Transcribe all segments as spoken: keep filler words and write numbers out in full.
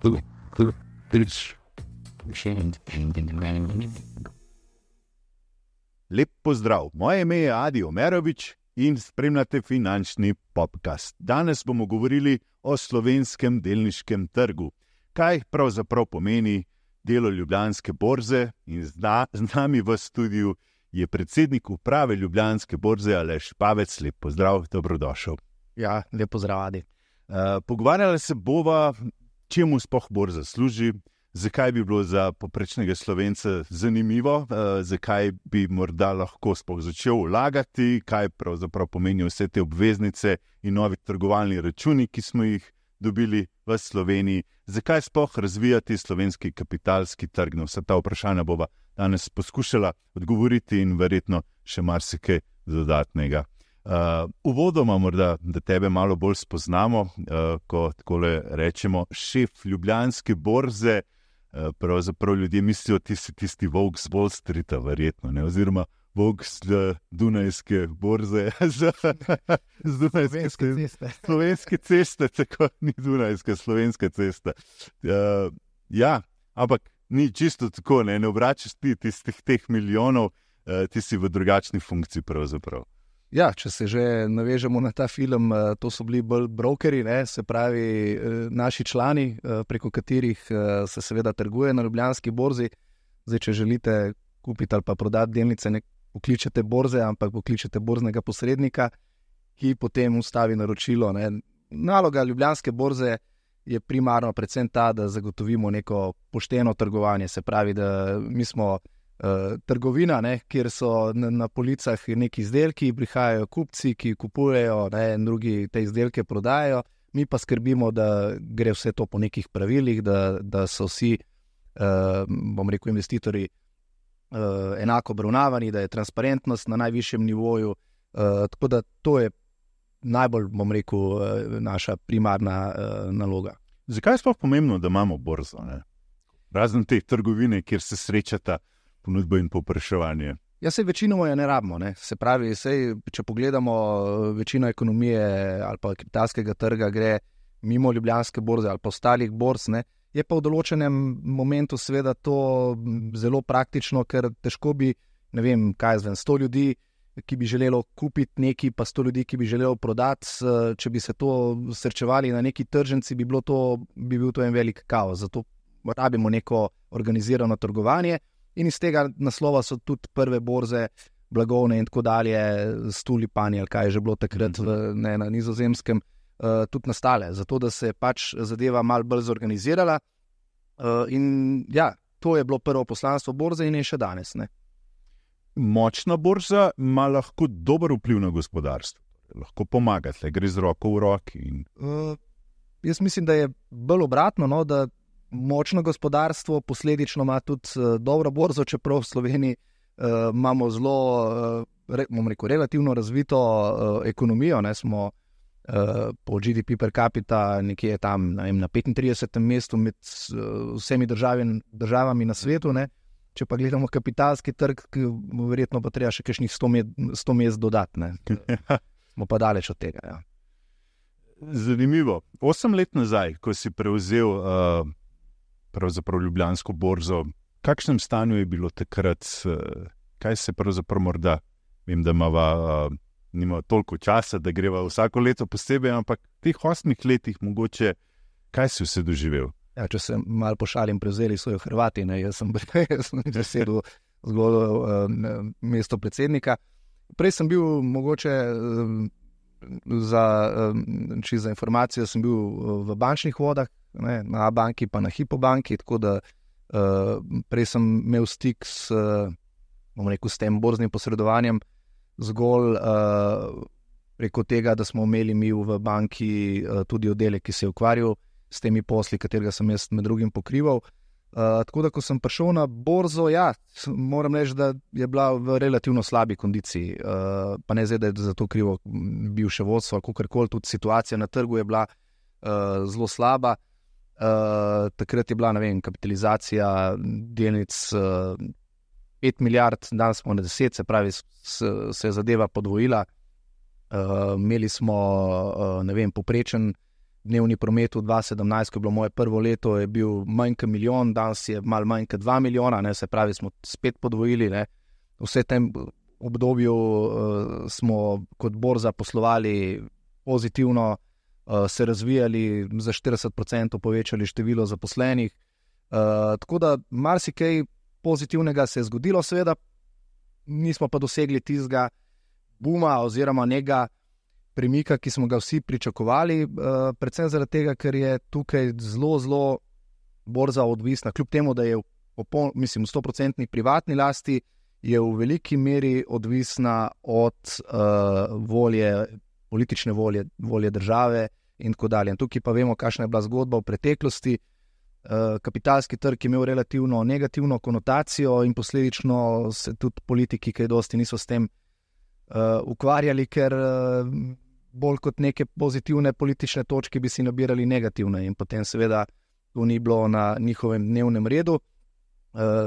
Lep pozdrav, moje ime je Adi Omerovič in spremljate finančni podcast. Danes bomo govorili o slovenskem delniškem trgu. Kaj pravzaprav pomeni delo Ljubljanske borze, in zna, z nami v studiu je predsednik uprave Ljubljanske borze Aleš Pavec. Lep pozdrav, dobrodošel. Ja, lep pozdrav, Adi. Uh, pogovarjali se bova, čemu sploh borza služi, zakaj bi bilo za povprečnega Slovenca zanimivo, uh, zakaj bi morda lahko sploh začel vlagati, kaj pravzaprav pomenijo vse te obveznice in novi trgovalni računi, ki smo jih dobili v Sloveniji, zakaj sploh razvijati slovenski kapitalski trg. Na vsa ta vprašanja bova danes poskušala odgovoriti in verjetno še marsikaj dodatnega. Uh, uvodoma morda, da tebe malo bolj spoznamo, uh, ko takole rečemo šef Ljubljanske borze, uh, pravzaprav ljudje mislijo, ti si tisti volk z Wall Streeta, verjetno, ne? Oziroma volk z Dunajske borze, z, z Dunajske ceste. Slovenske ceste, tako ni Dunajska, Slovenska cesta. Uh, ja, ampak ni čisto tako, ne, ne obračaš ti tistih teh milijonov, uh, ti si v drugačni funkciji pravzaprav. Ja, če se že navežemo na ta film, to so bili bolj brokeri, ne, se pravi naši člani, preko katerih se seveda trguje na Ljubljanski borzi. Zdaj, če želite kupiti ali pa prodati delnice, ne pokličete borze, ampak pokličete borznega posrednika, ki potem ustavi naročilo. Ne. Naloga Ljubljanske borze je primarno predvsem ta, da zagotovimo neko pošteno trgovanje, se pravi, da mi smo Uh, trgovina, ne, kjer so na, na policah neki izdelki, prihajajo kupci, ki kupujejo, ne, in drugi te izdelke prodajajo, mi pa skrbimo, da gre vse to po nekih pravilih, da, da so vsi, uh, bom rekel, investitorji uh, enako obravnavani, da je transparentnost na najvišjem nivoju, uh, tako da to je najbolj, bom rekel, uh, naša primarna uh, naloga. Zakaj je sploh pomembno, da imamo borzo, ne? Razen te trgovine, kjer se srečata ponudbo in povpraševanje? Ja, sej večinoma je ne rabimo, ne. Se pravi, sej, če pogledamo, večino ekonomije ali pa kapitalskega trga gre mimo Ljubljanske borze ali pa ostalih borz, ne. Je pa v določenem momentu seveda to zelo praktično, ker težko bi, ne vem, kaj zvem, sto ljudi, ki bi želelo kupiti neki, pa sto ljudi, ki bi želelo prodati, če bi se to srečevali na neki tržnici, bi bilo to, bi bil to en velik kaos. Zato rabimo neko organizirano trgovanje. In iz tega naslova so tudi prve borze, blagovne in tako dalje, s tulipani, ali kaj je že bilo takrat v, ne, na Nizozemskem, uh, tudi nastale. Zato, da se pač zadeva malo bolj zorganizirala. Uh, in ja, to je bilo prvo poslanstvo borze in je še danes. Ne. Močna borza ima lahko dober vpliv na gospodarstvo. Lahko pomaga, tle gre z roko v roki. In... Uh, jaz mislim, da je bolj obratno, no, da močno gospodarstvo posledično ima tudi uh, dobro borzo, čeprav v Sloveniji uh, imamo zelo, uh, re, bom rekel, relativno razvito uh, ekonomijo, ne, smo uh, po G D P per capita nekje tam, ne vem, na petintridesetem mestu med uh, vsemi državi, državami na svetu, ne. Če pa gledamo kapitalski trg, verjetno pa treba še kakšnih sto mest dodati, ne. Smo pa daleč od tega, ja. Zanimivo. Osem let nazaj, ko si prevzel uh, pravzaprav Ljubljansko borzo, v kakšnem stanju je bilo takrat, kaj se pravzaprav morda, vem, da imava, nima toliko časa, da greva vsako leto posebej, ampak v teh osmih letih mogoče, kaj si vse doživel? Ja, če se malo pošalim, prevzeli so jo Hrvati, ne, jaz sem, jaz sem zasedel zgolj uh, mesto predsednika. Prej sem bil mogoče uh, za, uh, či za informacijo, sem bil v bančnih vodah, ne, na banki pa na Hypo banki, tako da uh, prej sem imel stik s, uh, bom rekel, s tem borznim posredovanjem zgolj uh, preko tega, da smo imeli mi v banki uh, tudi oddelek, ki se je ukvarjal s temi posli, katerega sem jaz med drugim pokrival. Uh, tako da, ko sem prišel na borzo, ja, moram reči, da je bila v relativno slabi kondiciji. Uh, pa ne zdaj, da je za to krivo bivše vodstvo, kakorkoli, tudi situacija na trgu je bila uh, zelo slaba. Uh, takrat je bila, ne vem, kapitalizacija delnic uh, pet milijard, danes smo na deset, se pravi, se je zadeva podvojila. Uh, imeli smo, uh, ne vem, poprečen dnevni promet v dva tisoč sedemnajst, ko je bilo moje prvo leto, je bil manj kot milijon, danes je malo manj kot dva milijona, ne, se pravi, smo spet podvojili. Ne. Vse tem obdobju uh, smo kot borza poslovali pozitivno, uh, se razvijali, za štirideset procentov povečali število zaposlenih. Uh, tako da marsikaj pozitivnega se je zgodilo, seveda nismo pa dosegli tistega buma oziroma nekega premika, ki smo ga vsi pričakovali, uh, predvsem zaradi tega, ker je tukaj zelo, zelo borza odvisna, kljub temu, da je v, popol, mislim, v sto procentni privatni lasti, je v veliki meri odvisna od uh, volje, politične volje, volje države in tako dalje. In tukaj pa vemo, kakšna je bila zgodba v preteklosti. Uh, kapitalski trg je imel relativno negativno konotacijo in posledično se tudi politiki kaj dosti niso s tem uh, ukvarjali, ker uh, bolj kot neke pozitivne politične točke bi si nabirali negativne in potem seveda to ni bilo na njihovem dnevnem redu.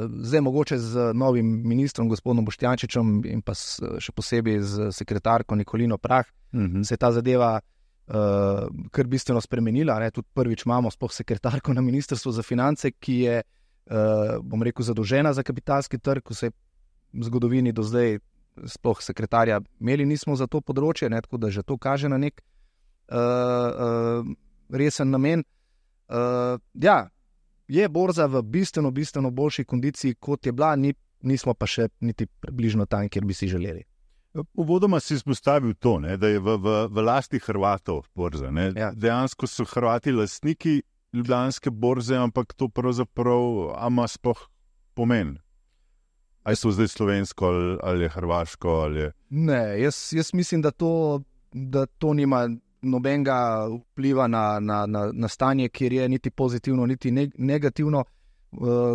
Zdaj mogoče z novim ministrom, gospodom Boštjančičem in pa še posebej z sekretarko Nikolino Prah, mm-hmm. se je ta zadeva uh, kar bistveno spremenila. Ne? Tudi prvič imamo sploh sekretarko na Ministrstvu za finance, ki je, uh, bom rekel, zadolžena za kapitalski trg, ko se v zgodovini do zdaj sploh sekretarja imeli nismo za to področje, ne? Tako da že to kaže na nek uh, uh, resen namen. Uh, ja, je borza v bistveno, bistveno boljši kondiciji, kot je bila, ni, nismo pa še niti približno tam, kjer bi si želeli. Uvodoma si izpostavil to, ne, da je v, v, v lasti Hrvatov borza. Ne. Ja. Dejansko so Hrvati lastniki ljubljanske borze, ampak to pravzaprav ima sploh pomen. Ali so zdaj slovensko, ali, ali je hrvaško? Ali je... Ne, jaz, jaz mislim, da to, da to nima nobenega vpliva na, na, na, na stanje, kjer je niti pozitivno, niti negativno.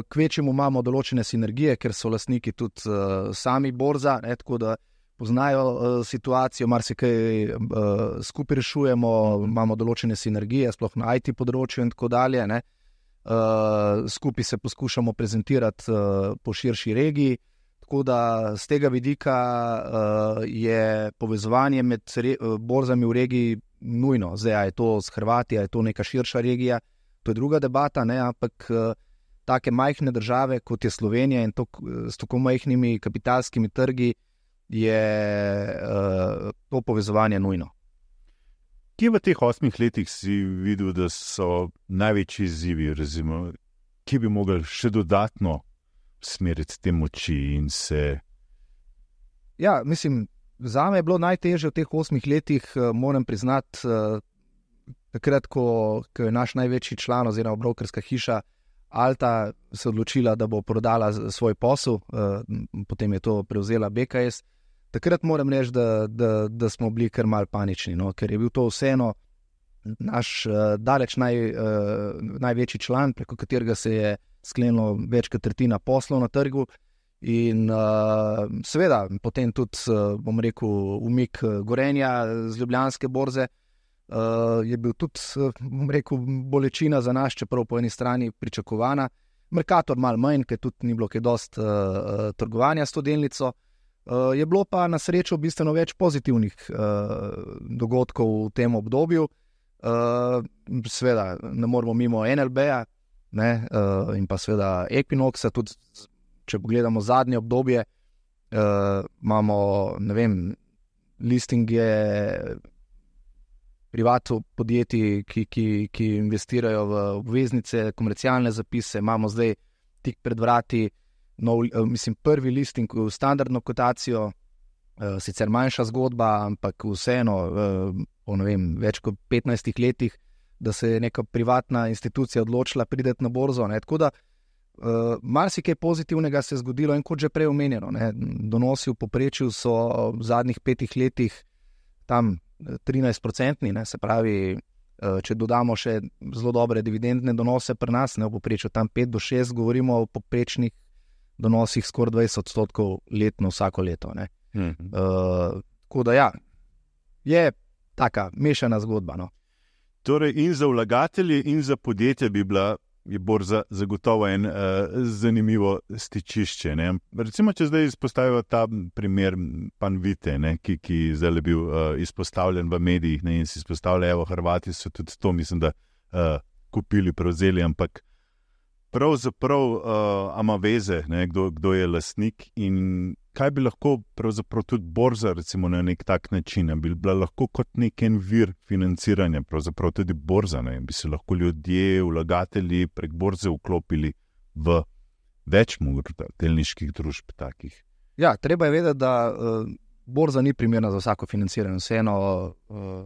Kvečemu imamo določene sinergije, ker so lastniki tudi uh, sami borza, ne, tako da poznajo uh, situacijo, marsikaj uh, skupaj rešujemo, imamo določene sinergije, sploh na I T področju in tako dalje. Ne. Uh, skupaj se poskušamo prezentirati uh, po širši regiji. Tako da z tega vidika uh, je povezovanje med re, uh, borzami v regiji nujno. Zdaj, je to s Hrvati, je to neka širša regija, to je druga debata, ne? Ampak uh, take majhne države, kot je Slovenija in to, s tako majhnimi kapitalskimi trgi, je uh, to povezovanje nujno. Kje v teh osmih letih si videl, da so največji izzivi, razimo, kje bi mogli še dodatno smeriti te moči in se... Ja, mislim, zame je bilo najtežje v teh osmih letih, moram priznati, takrat, ko, ko je naš največji član oziroma brokerska hiša Alta se odločila, da bo prodala svoj posel, potem je to prevzela B K S. Takrat moram reči, da, da, da smo bili kar mal panični, no? Ker je bil to vseeno naš daleč naj, največji član, preko katerega se je sklenilo več kot tretjina poslov na trgu in uh, seveda potem tudi, uh, bom rekel, umik Gorenja z Ljubljanske borze uh, je bil tudi, uh, bom rekel, bolečina za nas, čeprav po eni strani pričakovana. Mercator malo manj, ker tudi ni bilo kaj dost uh, trgovanja s to delnico. Uh, je bilo pa na srečo bistveno več pozitivnih uh, dogodkov v tem obdobju. Uh, seveda ne moramo mimo N L B-a, Ne, uh, in pa seveda Equinoxa, tudi če pogledamo zadnje obdobje, uh, imamo, ne vem, listinge privatov podjetij, ki, ki, ki investirajo v obveznice, komercialne zapise, imamo zdaj tik pred vrati nov, uh, mislim, prvi listing v standardno kotacijo, uh, sicer manjša zgodba, ampak vseeno, uh, po ne vem, več kot petnajstih letih, da se je neka privatna institucija odločila prideti na borzo. Ne. Tako da uh, marsikaj pozitivnega se je zgodilo in kot že prej omenjeno, ne, donosi v povprečju so v zadnjih petih letih tam trinajst procentni, ne, se pravi, uh, če dodamo še zelo dobre dividendne donose pri nas, ne, v povprečju tam pet do šest, govorimo o povprečnih donosih skoraj dvajset odstotkov letno vsako leto. Ne. Mm-hmm. Uh, tako da ja, je taka mešana zgodba, no. Torej in za vlagatelje in za podjetje bi bila je borza zagotovo en uh, zanimivo stičišče. Ne? Recimo, če zdaj izpostavijo ta primer Panvite, ne? ki, ki zdaj je bil uh, izpostavljen v medijih, ne? In si izpostavlja, evo, Hrvati so tudi to, mislim, da uh, kupili, prevzeli, ampak pravzaprav uh, ima veze, ne? Kdo, kdo je lastnik in kaj bi lahko pravzaprav tudi borza, recimo na nek tak način, bi bila lahko kot nek en vir financiranja, pravzaprav tudi borza, ne? Bi se lahko ljudje, vlagatelji prek borze vklopili v več morda delniških družb takih. Ja, treba je vedeti, da uh, borza ni primerna za vsako financiranje. Vseeno uh,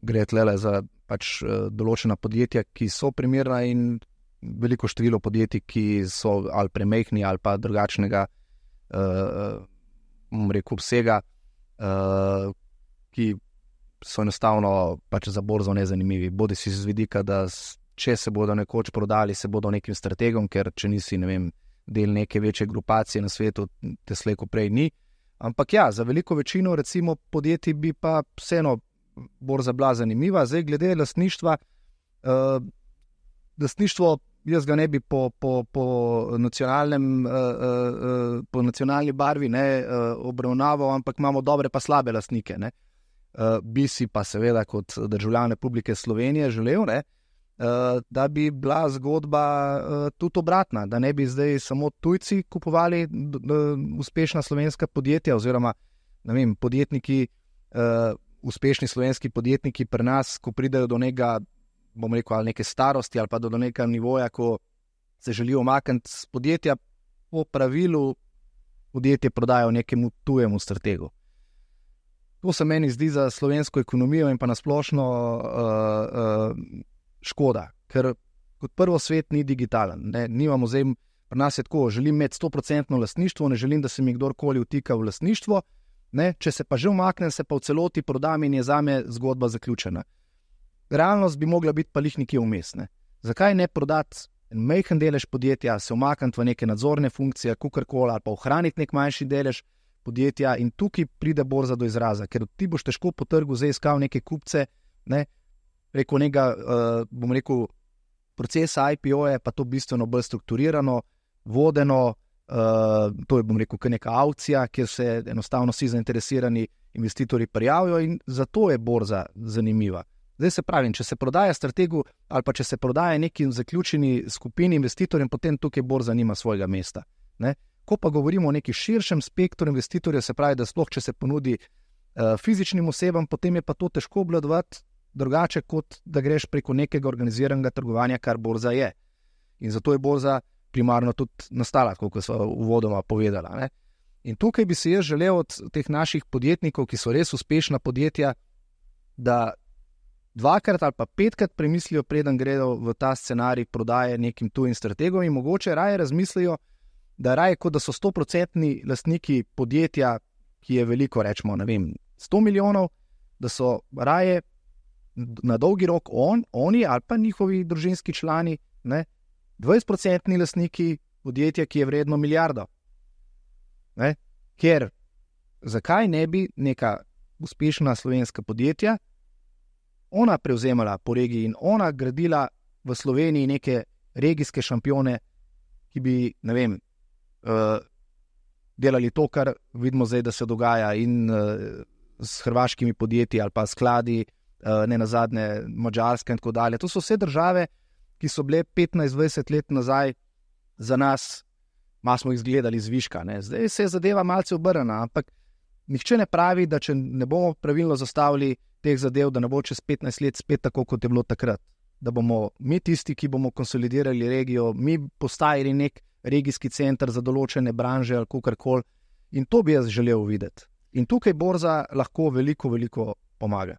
gre tlele za pač uh, določena podjetja, ki so primerna in veliko število podjetij, ki so ali premehni ali pa drugačnega Uh, rekel, obsega, uh, ki so enostavno pač za borzo nezanimivi. Bodi si z vidika, da če se bodo nekoč prodali, se bodo nekim strategom, ker če nisi, ne vem, del neke večje grupacije na svetu, te slejko prej ni. Ampak ja, za veliko večino recimo podjetij bi pa vseeno borza bila zanimiva. Zdaj, glede lastništva, uh, lastništvo jaz ga ne bi po, po, po, nacionalnem, uh, uh, po nacionalni barvi ne, uh, obravnaval, ampak imamo dobre pa slabe lastnike. Ne. Uh, bi si pa seveda kot državljan Republike Slovenije želel, ne, uh, da bi bila zgodba uh, tudi obratna, da ne bi zdaj samo tujci kupovali d- d- uspešna slovenska podjetja oziroma ne vem, podjetniki, uh, uspešni slovenski podjetniki pri nas, ko pridejo do nekega, bom rekel, ali neke starosti ali pa do nekega nivoja, ko se želijo umakniti z podjetja, po pravilu podjetje prodajo nekemu tujemu strategu. To se meni zdi za slovensko ekonomijo in pa nasplošno uh, uh, škoda, ker kot prvo svet ni digitalen. Ne? Nimamo zdaj, pri nas je tako, želim imeti sto procentno lastništvo, ne želim, da se mi kdorkoli vtika v lastništvo, ne? Če se pa že umaknem, se pa v celoti prodam in je zame zgodba zaključena. Realnost bi mogla biti pa lih nekje vmes. Ne? Zakaj ne prodati en majhen delež podjetja, se umakniti v neke nadzorne funkcije, kukorkoli, ali pa ohraniti nek manjši delež podjetja in tukaj pride borza do izraza, ker ti boš težko po trgu zdaj iskal neke kupce, ne? Preko nekega, uh, bom rekel, procesa I P O je pa to bistveno bolj strukturirano, vodeno, uh, to je, bom rekel, kar neka aukcija, kjer se enostavno vsi zainteresirani investitorji prijavijo in zato je borza zanimiva. Zdaj se pravim, če se prodaja strategu ali pa če se prodaja nekim zaključeni skupini investitorjem, potem tukaj borza nima svojega mesta. Ne? Ko pa govorimo o neki širšem spektru investitorjev, se pravi, da sploh če se ponudi uh, fizičnim osebam, potem je pa to težko obvladovati drugače, kot da greš preko nekega organiziranega trgovanja, kar borza je. In zato je borza primarno tudi nastala, kot so uvodoma povedala. Ne? In tukaj bi se jaz želel od teh naših podjetnikov, ki so res uspešna podjetja, da dvakrat ali pa petkrat premislijo, preden gredo v ta scenarij prodaje nekim tujim strategom in mogoče raje razmislijo, da raje kot da so stoprocentni lastniki podjetja, ki je veliko, rečemo, ne vem, sto milijonov, da so raje na dolgi rok on, oni ali pa njihovi družinski člani, ne, dvajsetprocentni lastniki podjetja, ki je vredno milijardo. Ne? Ker zakaj ne bi neka uspešna slovenska podjetja ona prevzemala po regiji in ona gradila v Sloveniji neke regijske šampione, ki bi, ne vem, uh, delali to, kar vidimo zdaj, da se dogaja in uh, s hrvaškimi podjetji ali pa skladi, uh, ne nazadnje Madžarska in tako dalje. To so vse države, ki so bile petnajst dvajset let nazaj za nas, malo smo jih zgledali zviška. Ne? Zdaj se je zadeva malce obrnjena, ampak nihče ne pravi, da če ne bomo pravilno zastavili teh zadev, da ne bo čez petnajst let spet tako, kot je bilo takrat. Da bomo mi tisti, ki bomo konsolidirali regijo, mi postajali nek regijski center za določene branže ali kakorkoli. In to bi jaz želel videti. In tukaj borza lahko veliko, veliko pomaga.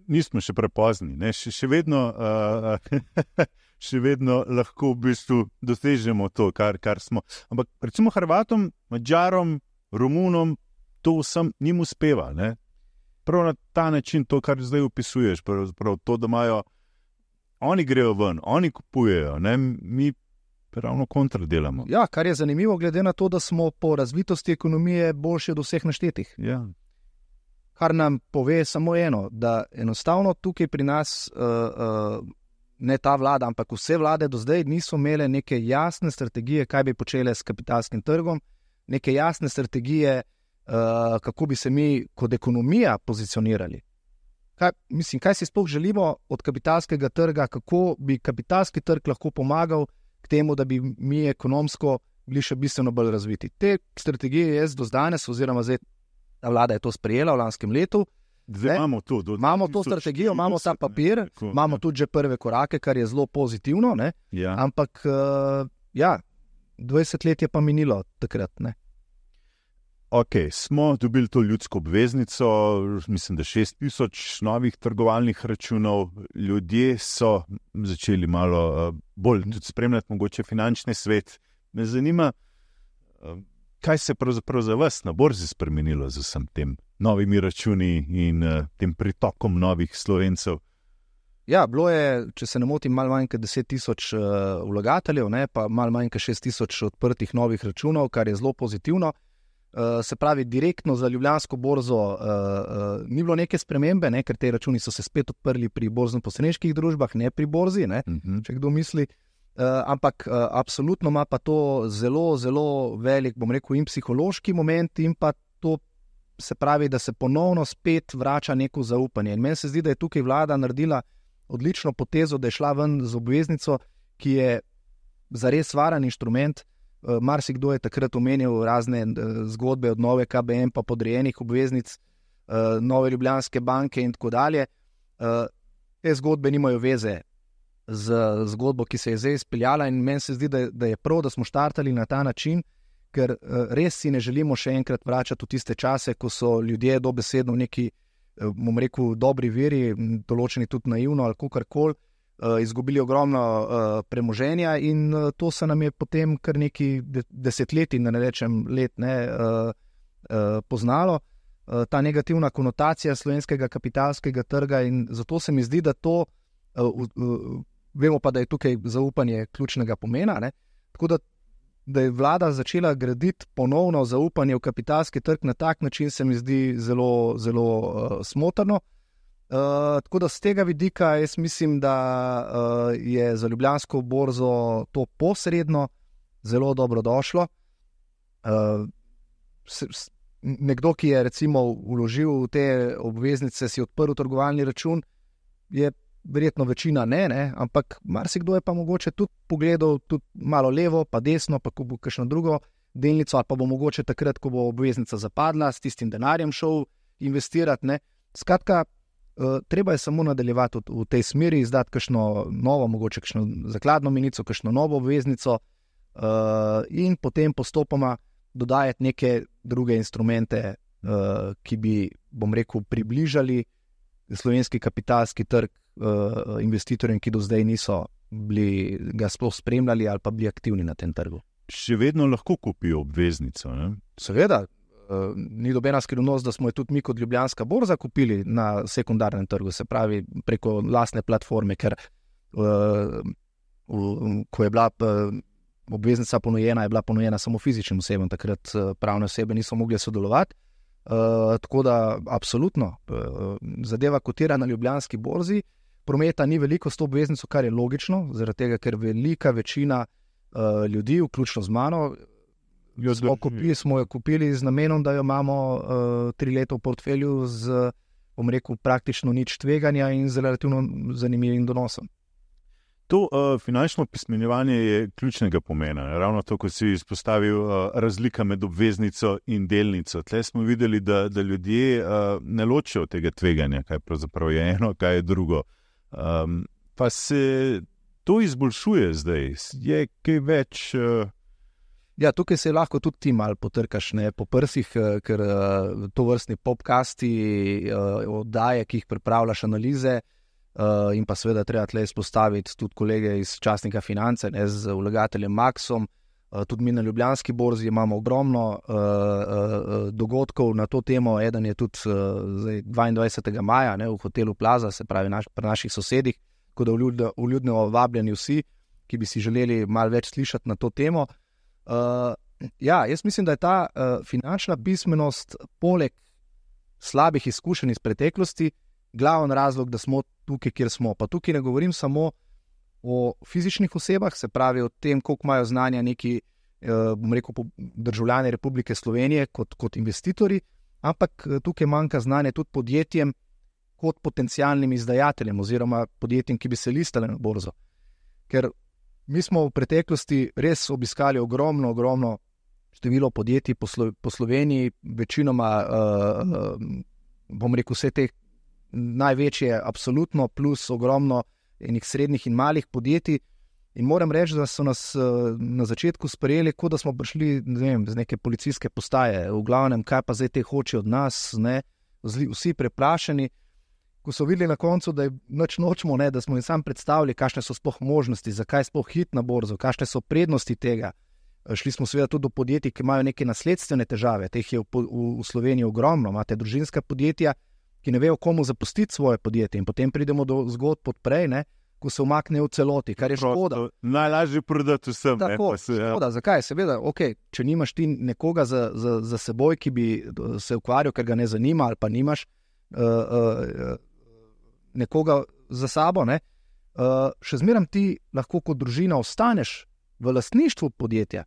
Nismo še prepozni, ne? Še, še, vedno, uh, še vedno lahko v bistvu dosežemo to, kar, kar smo. Ampak recimo Hrvatom, Madžarom, Romunom, to vsem njim uspeva, ne? Prav na ta način, to, kar zdaj opisuješ, prav, prav to, da imajo, oni grejo ven, oni kupujejo, ne? Mi ravno kontra delamo. Ja, kar je zanimivo, glede na to, da smo po razvitosti ekonomije boljši od vseh naštetih. Ja. Kar nam pove samo eno, da enostavno tukaj pri nas uh, uh, ne ta vlada, ampak vse vlade do zdaj niso imele neke jasne strategije, kaj bi počele s kapitalskim trgom, neke jasne strategije, uh, kako bi se mi kot ekonomija pozicionirali. Kaj, mislim, kaj si sploh želimo od kapitalskega trga, kako bi kapitalski trg lahko pomagal k temu, da bi mi ekonomsko bili še bistveno bolj razviti. Te strategije jaz do danes, oziroma zdaj ta vlada je to sprejela v lanskem letu. Zdaj imamo to, do imamo to strategijo, imamo ta papir, ne, tako, imamo ja. tudi že prve korake, kar je zelo pozitivno, ne? Ja. Ampak uh, ja, dvajset let je pa minilo takrat. Ne? Ok, smo dobili to ljudsko obveznico, mislim, da šest tisoč novih trgovalnih računov, ljudje so začeli malo uh, bolj tudi spremljati mogoče finančni svet. Me zanima, uh, kaj se je pravzaprav za vas na borzi spremenilo z vsem tem novimi računi in uh, tem pritokom novih Slovencev? Ja, bilo je, če se ne motim, malo manj kot deset tisoč uh, vlagateljev, ne, pa malo manj kot šest tisoč odprtih novih računov, kar je zelo pozitivno. Uh, se pravi, direktno za Ljubljansko borzo uh, uh, ni bilo neke spremembe, ne, ker te računi so se spet odprli pri borzno-posredniških družbah, ne pri borzi, ne, uh-huh. če kdo misli. Uh, ampak uh, absolutno ima pa to zelo, zelo velik, bom rekel, in psihološki moment in pa to se pravi, da se ponovno spet vrača neko zaupanje. In meni se zdi, da je tukaj vlada naredila odlično potezo, da je šla ven z obveznico, ki je zares varen inštrument. Uh, marsikdo je takrat omenil razne uh, zgodbe od nove K B M pa podrejenih obveznic, uh, nove Ljubljanske banke in tako dalje. Uh, te zgodbe nimajo veze z zgodbo, ki se je zdaj izpeljala in meni se zdi, da, da je prav, da smo štartali na ta način, ker uh, res si ne želimo še enkrat vračati v tiste čase, ko so ljudje dobesedno v neki, uh, bom rekel, dobri veri, določeni tudi naivno ali kakorkoli, uh, izgubili ogromno uh, premoženja in uh, to se nam je potem kar neki de- desetletji, da ne rečem let, ne, uh, uh, poznalo, uh, ta negativna konotacija slovenskega kapitalskega trga in zato se mi zdi, da to uh, uh, vemo pa, da je tukaj zaupanje ključnega pomena, ne? Tako da, da je vlada začela graditi ponovno zaupanje v kapitalski trg na tak način, se mi zdi zelo, zelo uh, smotrno. Uh, tako da z tega vidika jaz mislim, da uh, je za Ljubljansko borzo to posredno zelo dobro došlo. Uh, s, s, nekdo, ki je recimo vložil v te obveznice, si odprl trgovalni račun, je verjetno večina ne, ne, ampak marsikdo je pa mogoče tudi pogledal tudi malo levo, pa desno, pa ko bo kakšno drugo delnico, ali pa bo mogoče takrat, ko bo obveznica zapadla, s tistim denarjem šel investirati. Ne. Skratka, uh, treba je samo nadaljevati v, v tej smeri, izdati kakšno novo, mogoče kakšno zakladno menico, kakšno novo obveznico uh, in potem postopoma dodajati neke druge instrumente, uh, ki bi, bom rekel, približali slovenski kapitalski trg uh, investitorjem, ki do zdaj niso bili ga sploh spremljali ali pa bili aktivni na tem trgu. Še vedno lahko kupijo obveznico, ne? Seveda, uh, ni dobena skrivnost, da smo jo tudi mi kot Ljubljanska borza kupili na sekundarnem trgu, se pravi preko lastne platforme, ker uh, uh, ko je bila uh, obveznica ponujena, je bila ponujena samo fizičnim osebam, takrat uh, pravne osebe niso mogli sodelovati. Uh, tako da absolutno uh, zadeva kotira na Ljubljanski borzi, prometa ni veliko s to obveznico, kar je logično, zaradi tega, ker velika večina uh, ljudi, vključno z mano, smo, kupili, smo jo kupili z namenom, da jo imamo uh, tri leta v portfelju z, bom rekel, praktično nič tveganja in z relativno zanimivim donosom. To uh, finančno pismenjevanje je ključnega pomena. Ravno to, ko si izpostavil uh, razlika med obveznico in delnico. Tle smo videli, da, da ljudje uh, ne ločijo tega tveganja, kaj pravzaprav je eno, kaj je drugo. Um, pa se to izboljšuje zdaj. Je kaj več... Uh... Ja, tukaj se lahko tudi ti malo potrkaš, ne, po prsih, ker uh, to vrstni popkasti, uh, oddaje, ki jih pripravljaš, analize, Uh, in pa seveda treba tle izpostaviti tudi kolege iz časnika Finance, ne, z vlagateljem Maxom, uh, tudi mi na Ljubljanski borzi imamo ogromno uh, uh, dogodkov na to temo, eden je tudi uh, zdaj dvaindvajsetega maja, ne, v hotelu Plaza, se pravi naš, pri naših sosedih, tako da vljudno vabljeni vsi, ki bi si želeli malo več slišati na to temo. Uh, ja, jaz mislim, da je ta uh, finančna pismenost poleg slabih izkušenj iz preteklosti glaven razlog, da smo tukaj, kjer smo. Pa tukaj ne govorim samo o fizičnih osebah, se pravi o tem, koliko imajo znanja neki, bom rekel, državljani Republike Slovenije kot, kot investitorji, ampak tukaj manjka znanje tudi podjetjem kot potencialnim izdajateljem oziroma podjetjem, ki bi se listale na borzo. Ker mi smo v preteklosti res obiskali ogromno, ogromno število podjetij po, Slo- po Sloveniji, večinoma, uh, bom rekel, vse te največje absolutno, plus ogromno enih srednjih in malih podjetij. In moram reči, da so nas uh, na začetku sprejeli, kot da smo prišli, ne vem, z neke policijske postaje. V glavnem, kaj pa zdaj te hoče od nas, ne? Vsi preplašeni. Ko so videli na koncu, da je nič nočemo, ne, da smo jim sam predstavili, kakšne so sploh možnosti, zakaj sploh hit na borzo, kakšne so prednosti tega. Šli smo seveda tudi do podjetij, ki imajo neke nasledstvene težave, teh je v, v, v Sloveniji ogromno, imate družinska podjetja, ki ne vejo, komu zapustiti svoje podjetje in potem pridemo do zgodb odprej, ne, ko se umakne v celoti, kar je škoda. Najlažje prodati vsem. Tako, ne, se, ja. škoda, zakaj? Seveda, ok, če nimaš ti nekoga za, za, za seboj, ki bi se ukvarjal, ker ga ne zanima, ali pa nimaš uh, uh, nekoga za sabo, ne, uh, še zmeraj ti lahko kot družina ostaneš v lastništvu podjetja.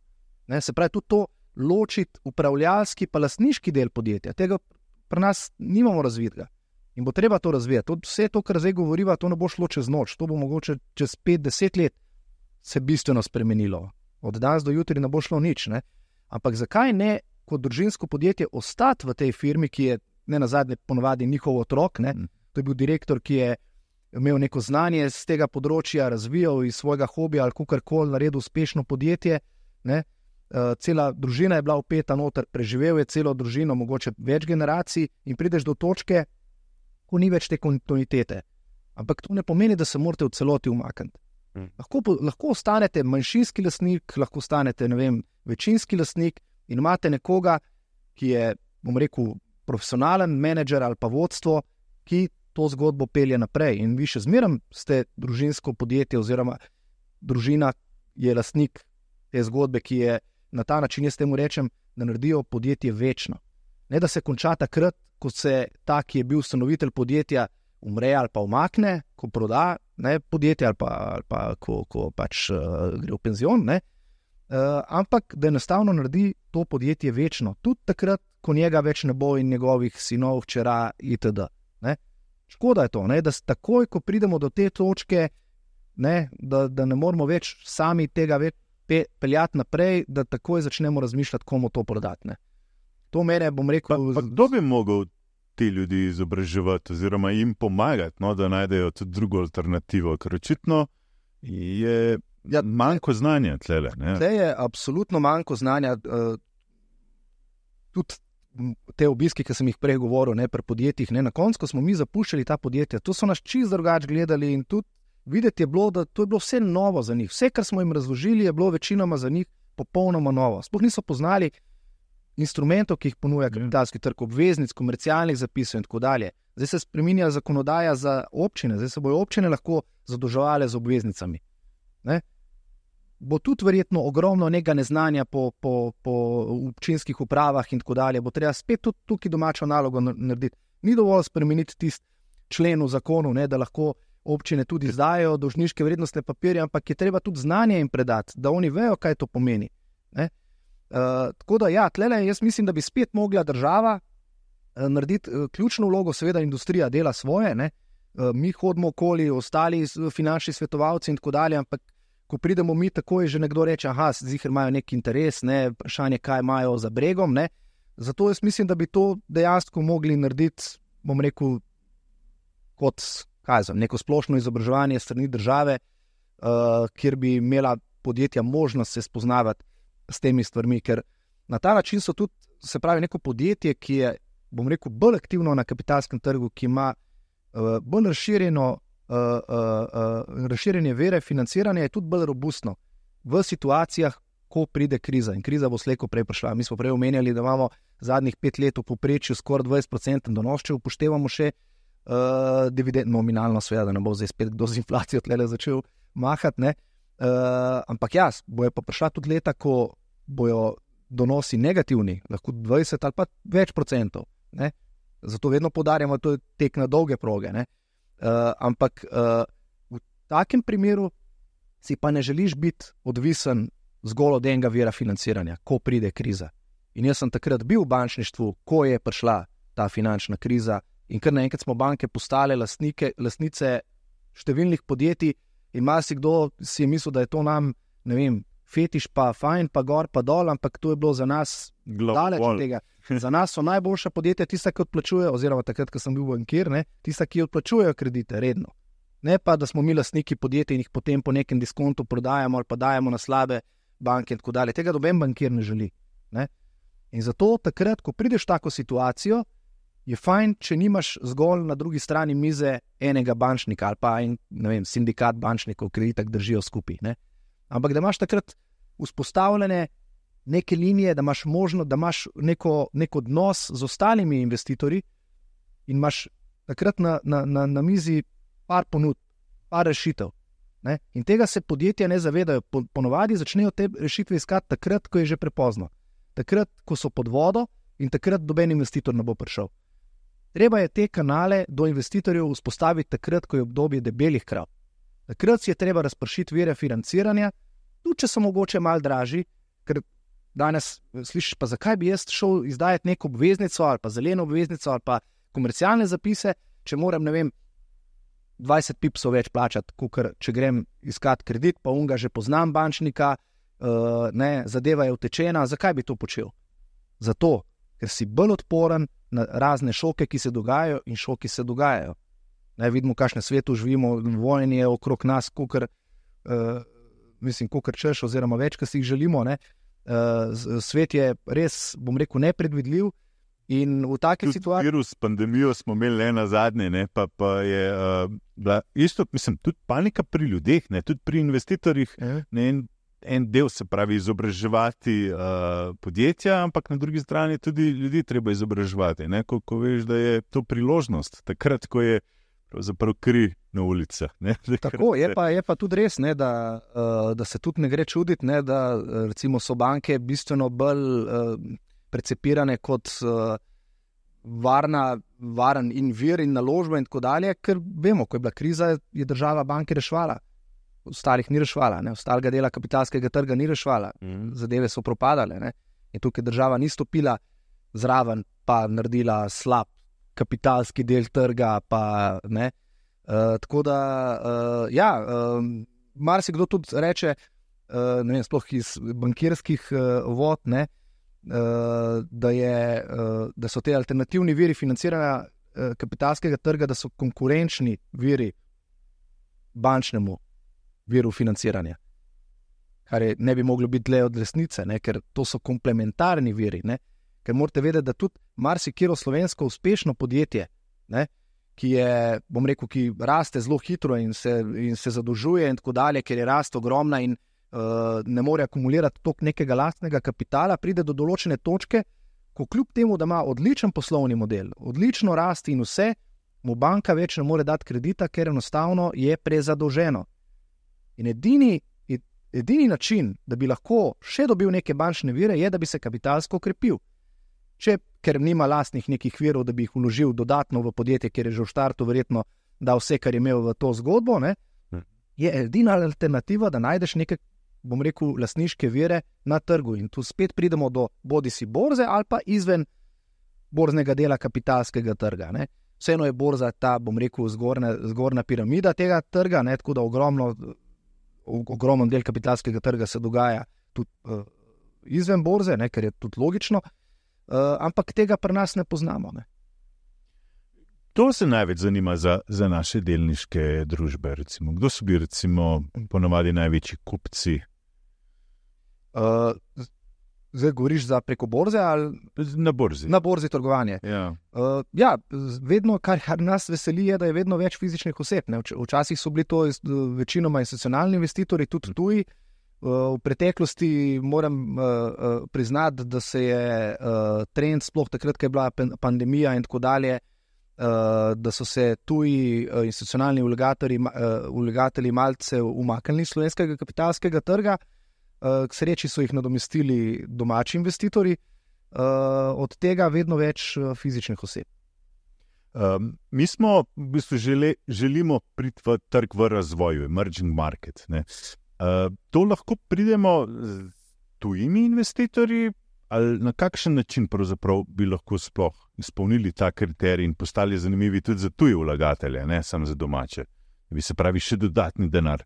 Ne, se pravi, tudi to ločiti upravljalski pa lastniški del podjetja. Tega pri nas nimamo razvitega. In bo treba to razvijati. To, vse to, kar zdaj govoriva, to ne bo šlo čez noč. To bo mogoče čez pet do deset let se bistveno spremenilo. Od danes do jutri ne bo šlo nič. Ne? Ampak zakaj ne kot družinsko podjetje ostati v tej firmi, ki je ne nazadnje ponovadi njihov otrok, ne? To je bil direktor, ki je imel neko znanje z tega področja, razvijal iz svojega hobija ali kakorkoli, naredil uspešno podjetje, ne? Uh, cela družina je bila vpeta noter, preživel je celo družino, mogoče več generacij in prideš do točke, ko ni več te kontinuitete. Ampak to ne pomeni, da se morate v celoti umakniti. Hmm. Lahko, lahko ostanete manjšinski lastnik, lahko ostanete, ne vem, večinski lastnik in imate nekoga, ki je, bom rekel, profesionalen menedžer ali pa vodstvo, ki to zgodbo pelje naprej. In vi še zmeraj ste družinsko podjetje oziroma družina je lastnik te zgodbe, ki je na ta način, jaz temu rečem, da naredijo podjetje večno. Ne, da se konča takrat, ko se ta, ki je bil ustanovitelj podjetja, umre ali pa umakne, ko proda ne, podjetje ali pa, ali pa ko, ko pač uh, gre v penzion, ne, uh, ampak da enostavno naredi to podjetje večno. Tudi takrat, ko njega več ne bo in njegovih sinov, hčera itd. Ne. Škoda je to, ne, da takoj, ko pridemo do te točke, ne, da, da ne moramo več sami tega več pe, peljati naprej, da takoj začnemo razmišljati, komu to prodati. Ne. To mene, bom rekel... Pa, pa kdo bi mogel ti ljudi izobraževati oziroma jim pomagati, no, da najdejo tudi drugo alternativo, ker očitno je ja, manjko znanja tlele. Ne. Tle je absolutno manjko znanja. Uh, tudi te obiski, ki sem jih prej govoril, ne, pri podjetjih, ne, na koncu, ko smo mi zapuščali ta podjetja, to so nas čisto drugače gledali in tudi videti je bilo, da to je bilo vse novo za njih. Vse, kar smo jim razložili, je bilo večinoma za njih popolnoma novo. Sploh niso poznali instrumentov, ki jih ponuja kapitalski trg, obveznic, komercialnih zapisov in tako dalje. Zdaj se spreminja zakonodaja za občine, zdaj se bojo občine lahko zadolževale z obveznicami. Ne? Bo tudi verjetno ogromno nekega neznanja po, po, po občinskih upravah in tako dalje. Bo treba spet tudi tukaj domačo nalogo narediti. Ni dovolj spremeniti tisti člen v zakonu, ne, da lahko občine tudi izdajo dolžniške vrednostne papirje, ampak je treba tudi znanje jim predati, da oni vejo, kaj to pomeni. Ne? Uh, tako da ja, tlele jaz mislim, da bi spet mogla država uh, narediti uh, ključno vlogo, seveda industrija dela svoje, ne? Uh, mi hodimo okoli, ostali finančni svetovalci in tako dalje, ampak ko pridemo mi, takoj že nekdo reče, aha, ziher imajo nek interes, ne, vprašanje, kaj imajo za bregom, ne. Zato jaz mislim, da bi to dejansko mogli narediti, bom rekel, kot, kaj znam, neko splošno izobraževanje strani države, uh, kjer bi imela podjetja možnost se spoznavati s temi stvarmi, ker na ta način so tudi, se pravi, neko podjetje, ki je, bom rekel, bolj aktivno na kapitalskem trgu, ki ima uh, bolj razširjeno Uh, uh, uh, razširjenje vere, financiranje je tudi bolj robustno v situacijah, ko pride kriza. In kriza bo slejko prej prišla. Mi smo prej omenjali, da imamo zadnjih pet let v povprečju skoraj dvajset procentov donos, če upoštevamo še uh, dividend, nominalno seveda, da ne bo zdaj spet kdo z inflacijo tlele začel mahati. Ne? Uh, ampak ja, bojo pa prišla tudi leta, ko bojo donosi negativni, lahko dvajset ali pa več procentov. Ne? Zato vedno poudarjamo, da to je tek na dolge proge. Ne? Uh, ampak uh, v takem primeru si pa ne želiš biti odvisen zgolj od enega vira financiranja, ko pride kriza. In jaz sem takrat bil v bančništvu, ko je prišla ta finančna kriza in kar naenkrat smo banke postale lastnike, lastnice številnih podjetij in marsikdo si je mislil, da je to nam, ne vem, fetiš pa fajn, pa gor, pa dol, ampak to je bilo za nas daleč od tega. Za nas so najboljša podjetja tista, ki odplačujejo, oziroma takrat, ko sem bil bankir, ne, tista, ki odplačujejo kredite redno. Ne pa, da smo mi lastniki podjetij in jih potem po nekem diskontu prodajamo ali pa dajemo na slabe banke in tako dalje. Tega noben bankir ne želi. Ne? In zato takrat, ko prideš v tako situacijo, je fajn, če nimaš zgolj na drugi strani mize enega bančnika ali pa en, ne vem, sindikat bančnikov, ki itak držijo skupaj. Ne? Ampak da imaš takrat vzpostavljene neke linije, da imaš možno, da imaš neko, nek odnos z ostalimi investitorji in imaš takrat na, na, na, na mizi par ponud, par rešitev. Ne? In tega se podjetja ne zavedajo. Po, ponovadi začnejo te rešitve iskati takrat, ko je že prepozno. Takrat, ko so pod vodo in takrat doben investitor ne bo prišel. Treba je te kanale do investitorjev vzpostaviti takrat, ko je obdobje debelih krav. Takrat si je treba razpršiti vire financiranja, tudi če so mogoče malo dražji, ker danes slišiš, pa zakaj bi jaz šel izdajati neko obveznico ali pa zeleno obveznico ali pa komercialne zapise, če moram, ne vem, dvajset pipsov več plačati, kakor če grem iskat kredit, pa unga že poznam bančnika, uh, ne, zadeva je utečena, zakaj bi to počel? Zato, ker si bolj odporen na razne šoke, ki se dogajajo in šoki se dogajajo. Ne, vidimo, kakšne svetu živimo, vojn je okrog nas, kakor, uh, mislim, kakor češ, oziroma več, kar si jih želimo. Ne. Uh, svet je res, bom rekel, nepredvidljiv in v taki situaciji... Virus, pandemijo smo imeli le na zadnje, ne, pa, pa je uh, bila isto, mislim, tudi panika pri ljudeh, ne, tudi pri investitorjih, ne, en, en del se pravi izobraževati uh, podjetja, ampak na drugi strani tudi ljudi treba izobraževati, ne, ko, ko veš, da je to priložnost, takrat, ko je pravzaprav kri na ulicah. Ne? Tako, je pa, je pa tudi res, ne, da, uh, da se tudi ne gre čuditi, ne, da recimo so banke bistveno bolj uh, precepirane kot uh, varna, varen in vir in naložba in tako dalje, ker vemo, ko je bila kriza, je država banke rešvala. Ostalih ni rešvala, ne, ostalega dela kapitalskega trga ni rešvala. Mm. Zadeve so propadale, ne. In tukaj država ni stopila zraven pa naredila slab kapitalski del trga, pa ne. Uh, tako da, uh, ja, uh, marsikdo tudi reče, uh, ne vem, sploh iz bankirskih uh, vod, ne, uh, da, je, uh, da so te alternativni viri financiranja uh, kapitalskega trga, da so konkurenčni viri bančnemu viru financiranja. Kar je, ne bi moglo biti le od resnice, ne, ker to so komplementarni viri, ne. Ker morate vedeti, da tudi marsikero slovensko uspešno podjetje, ne, ki je, bom rekel, ki raste zelo hitro in se, in se zadolžuje in tako dalje, ker je rast ogromna in uh, ne more akumulirati toliko nekega lastnega kapitala, pride do določene točke, ko kljub temu, da ima odličen poslovni model, odlično rast in vse, mu banka več ne more dati kredita, ker enostavno je prezadolženo. In edini, edini način, da bi lahko še dobil neke bančne vire, je, da bi se kapitalsko okrepil. Če, ker nima lastnih nekih virov, da bi jih vložil dodatno v podjetje, ker je že v štartu verjetno dal vse, kar je imel v to zgodbo, ne, je edina alternativa, da najdeš neke, bom rekel, lastniške vire na trgu. In tu spet pridemo do bodisi borze ali pa izven borznega dela kapitalskega trga. Ne. Vseeno je borza ta, bom rekel, zgornja, zgornja piramida tega trga, ne, tako da ogromno, ogromno del kapitalskega trga se dogaja tudi uh, izven borze, ne, ker je tudi logično. Uh, ampak tega pri nas ne poznamo. Ne? To se največ zanima za, za naše delniške družbe. Recimo. Kdo so bili recimo ponavadi največji kupci? Uh, zdaj govoriš za preko borze ali na borzi? Na borzi trgovanje. Ja, uh, ja vedno, kar, kar nas veseli, je, da je vedno več fizičnih oseb. Ne? Včasih so bili to večinoma institucionalni investitorji, tudi tuji. V preteklosti moram uh, priznati, da se je uh, trend, sploh takrat, ko je bila pandemija in tako dalje, uh, da so se tuji uh, institucionalni vlagatelji, uh, vlagatelji malce umaknili slovenskega kapitalskega trga, uh, k sreči so jih nadomestili domači investitorji, uh, od tega vedno več uh, fizičnih oseb. Um, mi smo v bistvu žele, želimo priti v trg v razvoju, emerging market, ne. Uh, to lahko pridemo z tujimi investitorji, ali na kakšen način pravzaprav bi lahko sploh izpolnili ta kriterij in postali zanimivi tudi za tuje vlagatelje, ne samo za domače. Bi se pravi, še dodatni denar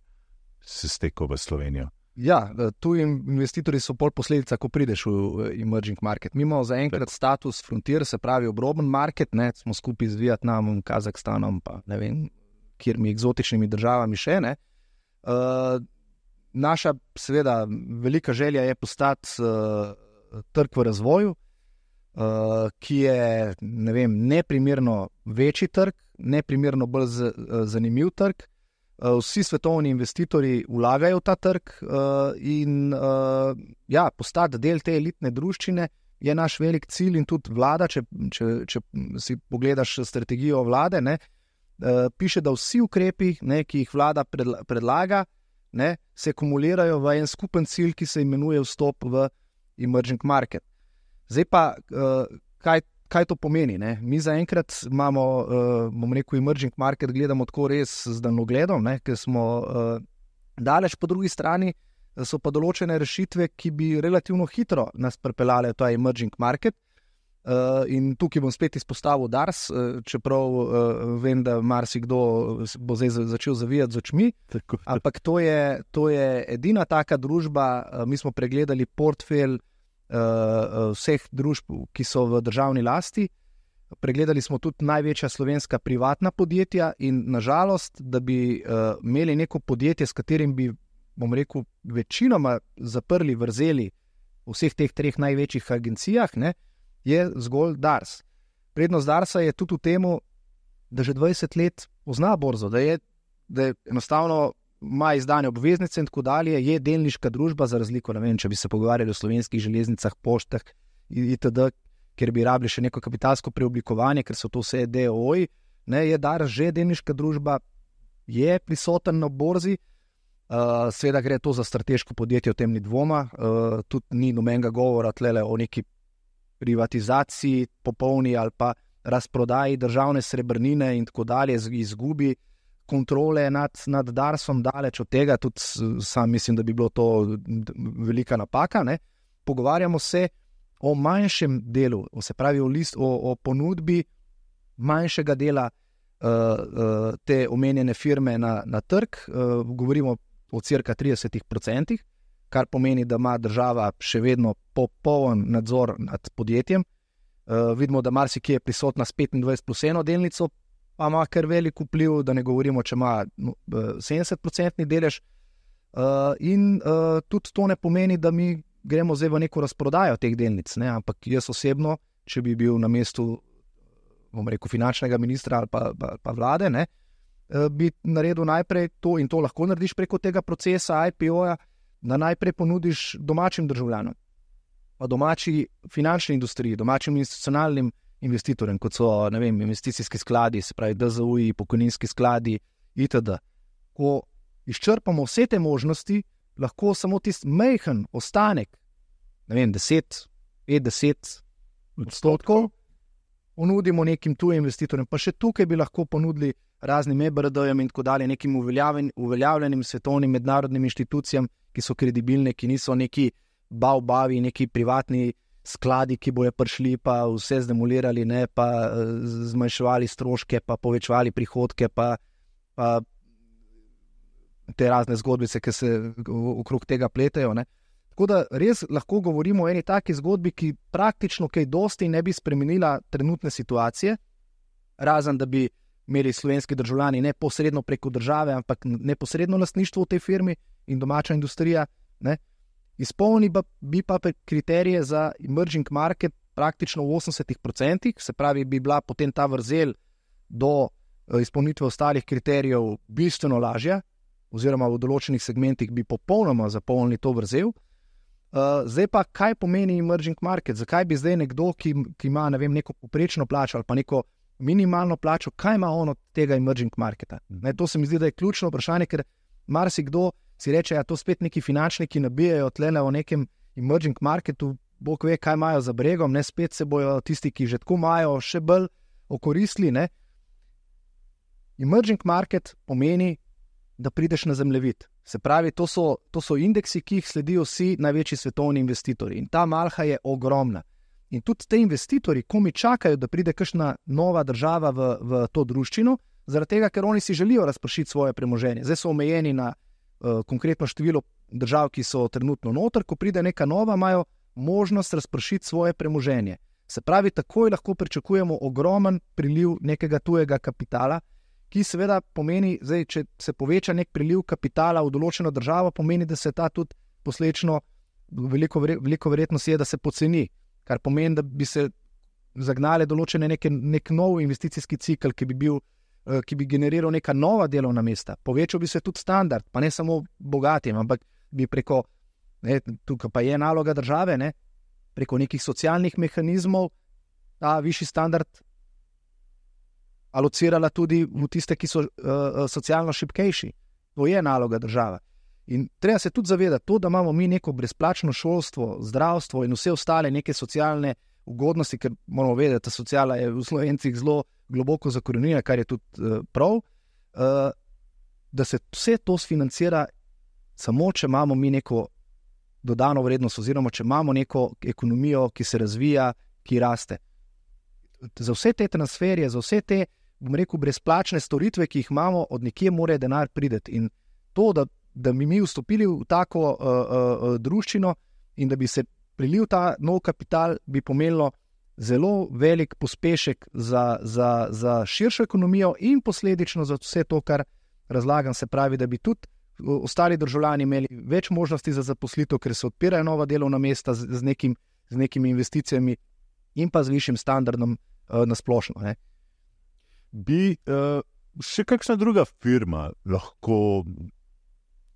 se stekel v Slovenijo. Ja, tuji investitorji so pol posledica, ko prideš v emerging market. Mi imamo zaenkrat status frontier, se pravi obroben market, ne, smo skupaj z Vietnamom, Kazahstanom, pa ne vem, kjermi eksotičnimi državami še, ne. Uh, naša, seveda, velika želja je postati uh, trg v razvoju, uh, ki je, ne vem, neprimerno večji trg, neprimerno bolj z, uh, zanimiv trg. Vsi svetovni investitorji vlagajo v ta trg uh, in uh, ja, postati del te elitne druščine je naš velik cilj in tudi vlada, če, če, če si pogledaš strategijo vlade, ne, uh, piše, da vsi ukrepi, ne, ki jih vlada predla, predlaga, ne, se kumulirajo v en skupen cilj, ki se imenuje vstop v emerging market. Zdaj pa, uh, kaj Kaj to pomeni? Ne? Mi zaenkrat imamo, uh, bom rekel, emerging market gledamo tako res z daljnogledom, ne? Ker smo uh, daleč, po drugi strani so pa določene rešitve, ki bi relativno hitro nas pripeljale v ta emerging market. Uh, in tukaj bom spet izpostavil Dars, uh, čeprav uh, vem, da marsikdo bo zdaj začel zavijati z očmi, tako, ampak to je, to je edina taka družba, uh, mi smo pregledali portfelj Uh, vseh družb, ki so v državni lasti. Pregledali smo tudi največja slovenska privatna podjetja in nažalost, da bi uh, imeli neko podjetje, s katerim bi, bom rekel, večinoma zaprli vrzeli v vseh teh treh največjih agencijah, ne, je zgolj Dars. Prednost Darsa je tudi v temu, da že dvajset let pozna borzo, da je, da je enostavno ima izdane obveznice in tako dalje, je delniška družba za razliko, ne vem, če bi se pogovarjali o slovenskih železnicah, poštah itd., ker bi rabili še neko kapitalsko preoblikovanje, ker so to vse D O O-ji, ne, je Dars že delniška družba, je prisoten na borzi, uh, seveda gre to za strateško podjetje, o tem ni dvoma, uh, tudi ni nobenega govora tlele o neki privatizaciji popolni ali pa razprodaji državne srebrnine in tako dalje, izgubi kontrole nad, nad Darsom, daleč od tega, tudi sam mislim, da bi bilo to velika napaka. Ne? Pogovarjamo se o manjšem delu, se pravi o, list, o, o ponudbi manjšega dela uh, uh, te omenjene firme na, na trg. Uh, govorimo o cirka trideset odstotkih, kar pomeni, da ima država še vedno popoln nadzor nad podjetjem. Uh, vidimo, da marsikje je prisotna s petindvajset plus eno delnico, pa ima kar velik vpliv, da ne govorimo, če ima no, sedemdeset odstotkov delež. Uh, in uh, tudi to ne pomeni, da mi gremo zdaj v neko razprodajo teh delnic, ne? Ampak jaz osebno, če bi bil na mestu, bom rekel, finančnega ministra ali pa, pa, pa vlade, ne, uh, bi naredil najprej to in to lahko narediš preko tega procesa I P O-ja, da najprej ponudiš domačim državljanom, pa domači finančni industriji, domačim institucionalnim investitorjem, kot so, ne vem, investicijski skladi, se pravi D Z U-ji, pokojninski skladi itd. Ko izčrpamo vse te možnosti, lahko samo tisti majhen ostanek, ne vem, deset, petdeset odstotkov ponudimo nekim tujim investitorjem, pa še tukaj bi lahko ponudili raznim E B R D-jem in tako dalje, nekim uveljavljenim svetovnim mednarodnim inštitucijam, ki so kredibilne, ki niso neki bav-bavi, neki privatni skladi, ki bojo prišli pa vse zdemolirali, ne, pa zmanjševali stroške, pa povečevali prihodke, pa, pa te razne zgodbice, ki se okrog tega pletejo. Ne. Tako da res lahko govorimo o eni taki zgodbi, ki praktično kaj dosti ne bi spremenila trenutne situacije, razen da bi imeli slovenski državljani neposredno preko države, ampak neposredno lastništvo v tej firmi in domača industrija, ne. Izpolni bi pa kriterije za emerging market praktično v osemdesetih odstotkih, se pravi, bi bila potem ta vrzel do izpolnitve ostalih kriterijev bistveno lažja, oziroma v določenih segmentih bi popolnoma zapolnili to vrzel. Uh, zdaj pa, kaj pomeni emerging market? Zakaj bi zdaj nekdo, ki, ki ima, ne vem, neko poprečno plačo ali pa neko minimalno plačo, kaj ima on od tega emerging marketa? Ne, to se mi zdi, da je ključno vprašanje, ker marsikdo si reče, ja, to spet neki finančniki nabijajo tlele o nekem emerging marketu, bog ve, kaj imajo za bregom, ne, spet se bojo tisti, ki že tako imajo, še bolj okoristili, ne. Emerging market pomeni da prideš na zemljevid. Se pravi, to so, to so indeksi, ki jih sledijo vsi največji svetovni investitorji. In ta malha je ogromna. In tudi te investitorji, ko mi čakajo, da pride kakšna nova država v, v to druščino, zaradi tega, ker oni si želijo razpršiti svoje premoženje. Zdaj so omejeni na uh, konkretno število držav, ki so trenutno noter, ko pride neka nova, imajo možnost razpršiti svoje premoženje. Se pravi, takoj lahko pričakujemo ogromen priliv nekega tujega kapitala, ki seveda pomeni, zdaj, če se poveča nek priliv kapitala v določeno državo, pomeni, da se ta tudi poslečno, veliko, veliko verjetnost je, da se poceni, kar pomeni, da bi se zagnale določene neke, nek nov investicijski cikl, ki bi bil, ki bi generiral neka nova delovna mesta. Povečal bi se tudi standard, pa ne samo bogatim, ampak bi preko, ne, tukaj pa je naloga države, ne, preko nekih socialnih mehanizmov ta višji standard alocirala tudi v tiste, ki so uh, socialno šibkejši. To je naloga države. In treba se tudi zavedati to, da imamo mi neko brezplačno šolstvo, zdravstvo in vse ostale neke socialne ugodnosti, ker moramo vedeti, da sociala je v Slovencih zelo globoko zakorenjena, kar je tudi uh, prav, uh, da se vse to sfinancira samo, če imamo mi neko dodano vrednost oziroma če imamo neko ekonomijo, ki se razvija, ki raste. Za vse te transferje, za vse te, bom rekel, brezplačne storitve, ki jih imamo, od nekje mora denar priti. In to, da, da bi mi vstopili v tako uh, uh, druščino in da bi se prilil ta nov kapital, bi pomenilo zelo velik pospešek za, za, za širšo ekonomijo in posledično za vse to, kar razlagam, se pravi, da bi tudi ostali državljani imeli več možnosti za zaposlitev, ker se odpirajo nova delovna mesta z, z, nekim, z nekimi investicijami in pa z višjim standardom uh, nasplošno. Ne. Bi uh, še kakšna druga firma lahko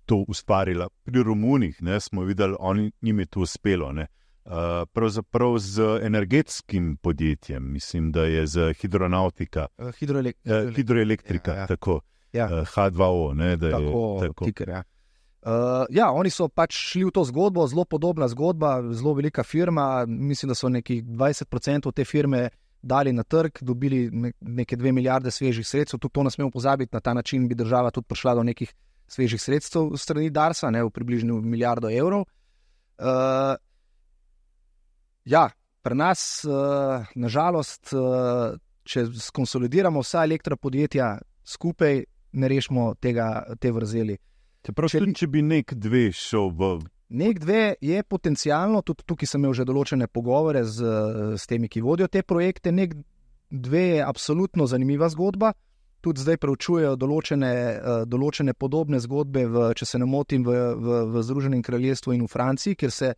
to ustvarila? Pri Romunih, ne, smo videli, oni, njim je to uspelo. Ne. Uh, pravzaprav z energetskim podjetjem, mislim, da je z hidronautika, uh, hidroelek uh, hidroelektrika, ja, ja. tako. Ja. H dva O, ne, da je tako, tako. Tiker, ja. Uh, ja, oni so pač šli v to zgodbo, zelo podobna zgodba, zelo velika firma, mislim, da so nekih dvajset procentov te firme dali na trg, dobili neke dve milijarde svežih sredstev, tudi to ne smemo pozabiti, na ta način bi država tudi prišla do nekih svežih sredstev strani Darsa, ne, v približno milijardo evrov. Uh, ja, pri nas, uh, nažalost, uh, če skonsolidiramo vsa elektropodjetja skupaj, ne rešimo tega, te vrzeli. Čeprav, če, če bi nek dve šel v... Nek dve je potencialno, tudi tukaj sem imel že določene pogovore z, z temi, ki vodijo te projekte, nek dve je absolutno zanimiva zgodba, tudi zdaj preučujejo določene, določene podobne zgodbe, v, če se ne motim, v, v, v Združenem kraljestvu in v Franciji, kjer se,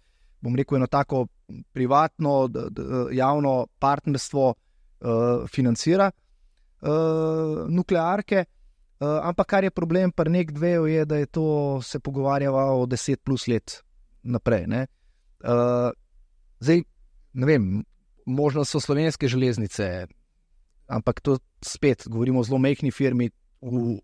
bom rekel, eno tako privatno, d, d, javno partnerstvo uh, financira uh, nuklearke. Uh, ampak kar je problem pri nek dveju je, da je to se pogovarjava o deset plus let naprej. Ne? Uh, zdaj, ne vem, možno so slovenske železnice, ampak to spet govorimo o zelo majhni firmi v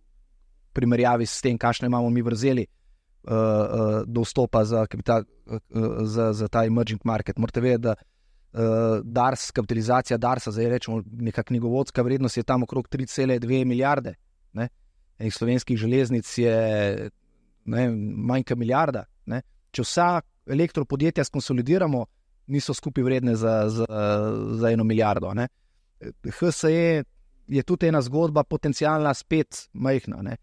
primerjavi s tem, kakšne imamo mi vrzeli uh, uh, do vstopa za, kapital, uh, za, za ta emerging market. Morate vedeti, da uh, Dars, kapitalizacija Darsa, zdaj rečemo neka knjigovodska vrednost je tam okrog tri cele dve milijarde. Ne? Enih slovenskih železnic je ne, manjka milijarda. Ne? Če vsa elektropodjetja skonsolidiramo, niso skupaj vredne za, za, za eno milijardo. Ne? H S E je tudi ena zgodba potencialna spet majhna. Ne?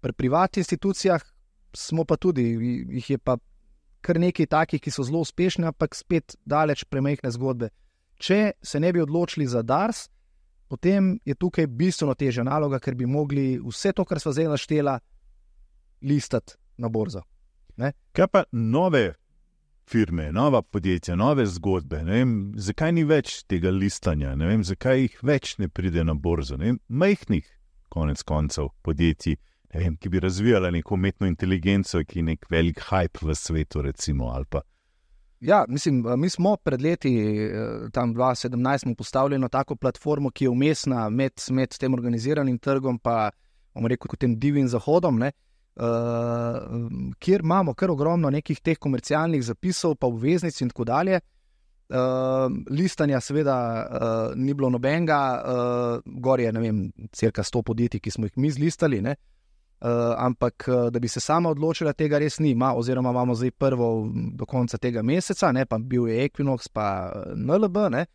Pri privatnih institucijah smo pa tudi, jih je pa kar nekaj takih, ki so zelo uspešni, ampak spet daleč premajhne zgodbe. Če se ne bi odločili za Dars, potem je tukaj bistveno težja naloga, ker bi mogli vse to, kar sva zdaj naštela, listati na borzo. Ne? Kaj pa nove firme, nova podjetja, nove zgodbe? Ne vem, zakaj ni več tega listanja? Ne vem, zakaj jih več ne pride na borzo? Ne vem, majhnih, konec koncev, podjetij, ne vem, ki bi razvijala neko umetno inteligenco, ki je nek velik hype v svetu, recimo, ali pa. Ja, mislim, mi smo pred leti, tam dva tisoč sedemnajst, postavljeno tako platformo, ki je umestna med, med tem organiziranim trgom pa, bomo rekel, tem divjim zahodom, ne, uh, kjer imamo kar ogromno nekih teh komercialnih zapisov, pa obveznic in tako dalje. Uh, listanja seveda uh, ni bilo nobenega, uh, gor je, ne vem, cirka sto podjetij, ki smo jih mi zlistali, ne. uh, ampak uh, da bi se sama odločila, tega res ni. Ma, oziroma imamo zdaj prvo do konca tega meseca, ne, pa bil je Equinox, pa N L B. Ne,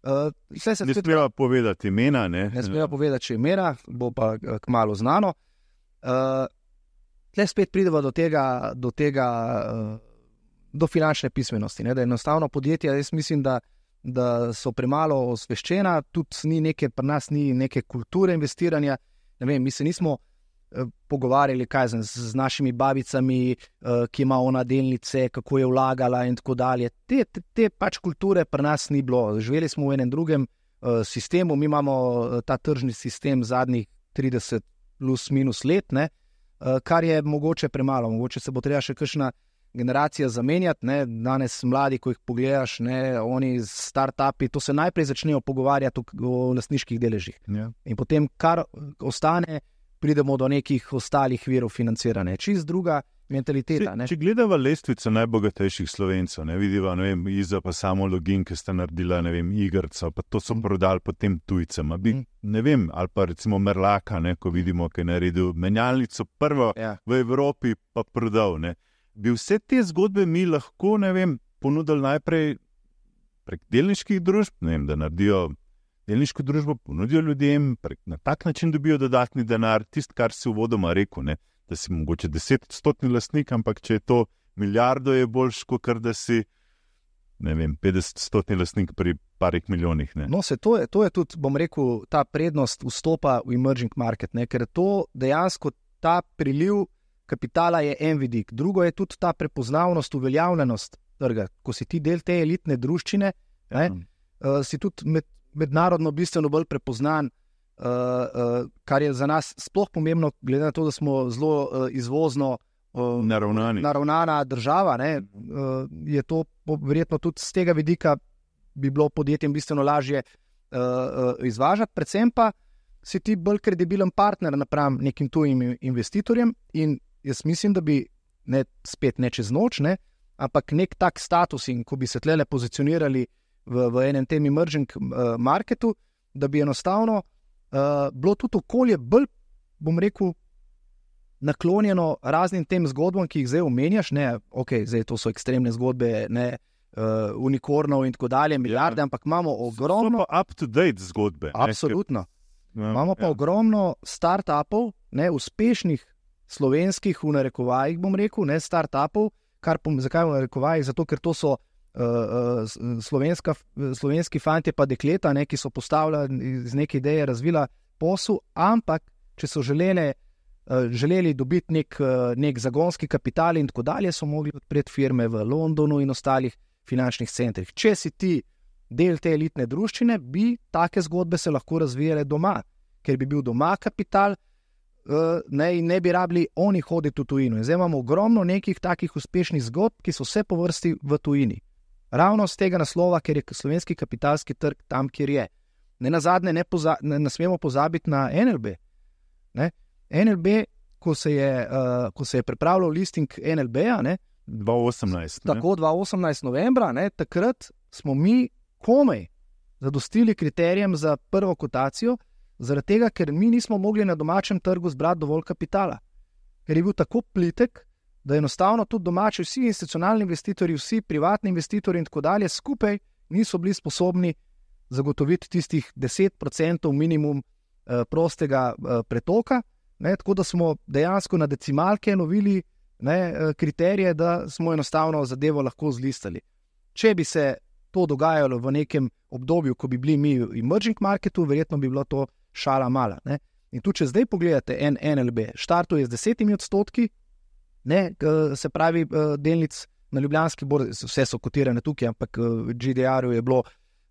uh, se ne smeva povedati imena. Ne, ne smeva povedati še imena, bo pa uh, kmalu znano. Uh, tle spet prideva do tega, do, tega uh, do finančne pismenosti. Ne, da enostavno podjetja, jaz mislim, da da so premalo osveščena, tudi ni neke, pri nas ni neke kulture investiranja. Ne vem, mi se nismo eh, pogovarjali kaj z, z našimi babicami, eh, ki ima ona delnice, kako je vlagala in tako dalje. Te, te, te pač kulture pri nas ni bilo. Živeli smo v enem drugem eh, sistemu, mi imamo eh, ta tržni sistem zadnjih trideset plus minus let, ne, eh, kar je mogoče premalo. Mogoče se bo treba še kakšna generacija zamenjati, ne, danes mladi, ko jih pogledaš, ne, oni start-upi, to se najprej začnejo pogovarjati o, o lastniških deležih. Ja. In potem, kar ostane, pridemo do nekih ostalih virov financiranja. Čist druga mentaliteta. Če, če gledava lestvico najbogatejših Slovencev, ne vidiva, ne vem, Iza pa samo Login, ki sta naredila, ne vem, Igrca, pa to so mm. prodali potem tujcem. Bi, mm. ne vem, ali pa recimo Merlaka, ne, ko vidimo, ki je naredil menjalnico prvo ja. v Evropi, pa prodal, ne. Bi vse te zgodbe mi lahko, ne vem, ponudili najprej prek delniških družb, ne vem, da naredijo delniško družbo, ponudijo ljudem, prek, na tak način dobijo dodatni denar, tist, kar si uvodoma rekel, ne, da si mogoče desetodstotni lastnik, ampak če je to milijardo, je boljš, kot da si, ne vem, petdesetodstotni lastnik pri parih milijonih. Ne. No, se to je, to je tudi, bom rekel, ta prednost vstopa v emerging market, ne, ker to dejansko ta priliv kapitala je en vidik. Drugo je tudi ta prepoznavnost, uveljavljenost trga. Ko si ti del te elitne druščine, ne, mm. uh, si tudi med, mednarodno bistveno bolj prepoznan, uh, uh, kar je za nas sploh pomembno, glede na to, da smo zelo uh, izvozno uh, naravnana država, ne, uh, je to verjetno tudi z tega vidika bi bilo podjetjem bistveno lažje uh, uh, izvažati, predvsem pa si ti bolj kredibilen partner napram nekim tujim investitorjem in jaz mislim, da bi ne, spet ne čez noč, ne, ampak nek tak status in ko bi se tlele pozicionirali v, v enem tem emerging uh, marketu, da bi enostavno uh, bilo tudi okolje bolj, bom rekel, naklonjeno raznim tem zgodbam, ki jih zdaj omenjaš, ne, ok, zdaj to so ekstremne zgodbe, ne, uh, unikornov in tako dalje, milijarde, ja. Ampak imamo ogromno... So pa up-to-date zgodbe. Absolutno. Ne, ker... Imamo pa ja. ogromno start-upov, ne, uspešnih slovenskih v narekovajih, bom rekel, ne start-upov, kar pom, zakaj v narekovajih? Zato, ker to so uh, uh, slovenska, slovenski fantje pa dekleta, ne, ki so postavljali iz neke ideje, razvila posel, ampak če so želeli, uh, želeli dobiti nek, uh, nek zagonski kapital in tako dalje, so mogli odpreti firme v Londonu in ostalih finančnih centrih. Če si ti del te elitne druščine, bi take zgodbe se lahko razvijale doma, ker bi bil doma kapital, Ne, ne bi rabili oni hoditi v tujino. Zdaj imamo ogromno nekih takih uspešnih zgodb, ki so vse po vrsti v tujini. Ravno z tega naslova, ker je slovenski kapitalski trg tam, kjer je. Ne nazadnje ne, poza, ne, ne smemo pozabiti na N L B. Ne? N L B, ko se je, uh, ko se je pripravljal listing N L B-a, ne, dva osemnajst, tako dva osemnajst novembra, ne, takrat smo mi komaj zadostili kriterijem za prvo kotacijo, zaradi tega, ker mi nismo mogli na domačem trgu zbrati dovolj kapitala. Ker je bil tako plitek, da enostavno tudi domači, vsi institucionalni investitorji, vsi privatni investitorji in tako dalje skupaj niso bili sposobni zagotoviti tistih deset procentov minimum eh, prostega eh, pretoka, ne, tako da smo dejansko na decimalke lovili ne, eh, kriterije, da smo enostavno zadevo lahko zlistali. Če bi se to dogajalo v nekem obdobju, ko bi bili mi v emerging marketu, verjetno bi bilo to šala mala. Ne? In tu, če zdaj pogledate en N L B, štartuje z desetimi odstotki, ne, se pravi delnic na Ljubljanski borzi, vse so kotirane tukaj, ampak v G D R-u je bilo uh,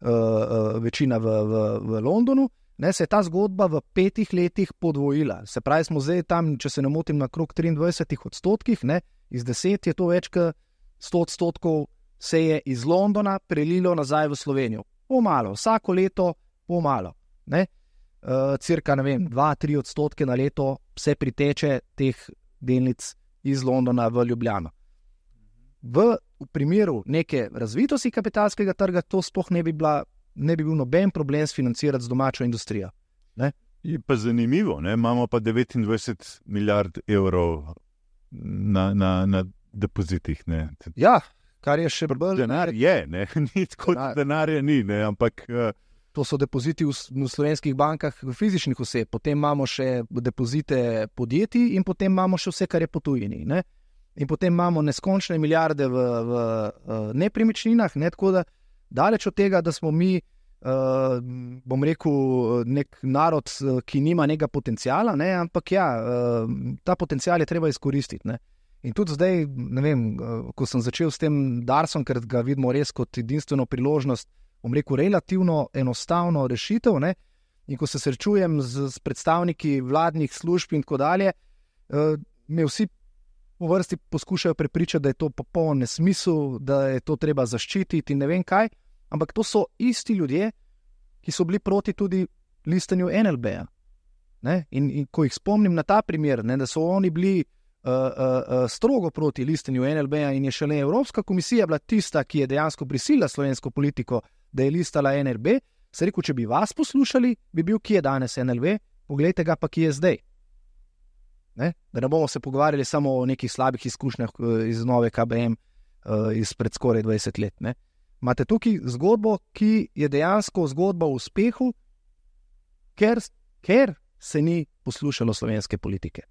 uh, večina v, v, v Londonu, ne, se je ta zgodba v petih letih podvojila. Se pravi, smo zdaj tam, če se ne motim, na krog triindvajsetih odstotkih, ne, iz deset je to več kot sto odstotkov se je iz Londona prelilo nazaj v Slovenijo. Pomalo, vsako leto pomalo, ne. Uh, cirka, ne vem, dva do tri odstotke na leto se priteče teh delnic iz Londona v Ljubljano. V, v primeru neke razvitosti kapitalskega trga to sploh ne bi, bila, ne bi bil noben problem sfinancirati z domačo industrijo. Ne? Je pa zanimivo, ne? Imamo pa devetindvajset milijard evrov na, na, na depozitih. Ne? Ja, kar je še bolj. Denar je, ne? Ni tako, da denarja ni, ne? Ampak. Uh... To so depoziti v, v slovenskih bankah fizičnih oseb, potem imamo še depozite podjetij in potem imamo še vse, kar je po tujini. Ne? In potem imamo neskončne milijarde v, v, v nepremičninah, ne? Tako da daleč od tega, da smo mi, uh, bom rekel, nek narod, ki nima nekega potencijala, ne? Ampak ja, uh, ta potencijal je treba izkoristiti. Ne? In tudi zdaj, ne vem, ko sem začel s tem Darsom, ker ga vidimo res kot edinstveno priložnost, bom rekel, relativno enostavno rešitev, ne? In ko se srečujem z, z predstavniki vladnih služb in tako dalje, uh, me vsi v vrsti poskušajo prepričati, da je to popoln nesmisel, da je to treba zaščititi in ne vem kaj, ampak to so isti ljudje, ki so bili proti tudi listanju N L B-ja. Ne? In, in ko jih spomnim na ta primer, ne, da so oni bili uh, uh, uh, strogo proti listanju N L B-ja in je šele Evropska komisija bila tista, ki je dejansko prisilila slovensko politiko, da je listala N L B, se rekel, če bi vas poslušali, bi bil, ki je danes N L B, poglejte ga pa, ki je zdaj. Ne? Da ne bomo se pogovarjali samo o nekih slabih izkušnjah iz nove K B M izpred skoraj dvajset let. Ne? Imate tukaj zgodbo, ki je dejansko zgodba o uspehu, ker, ker se ni poslušalo slovenske politike.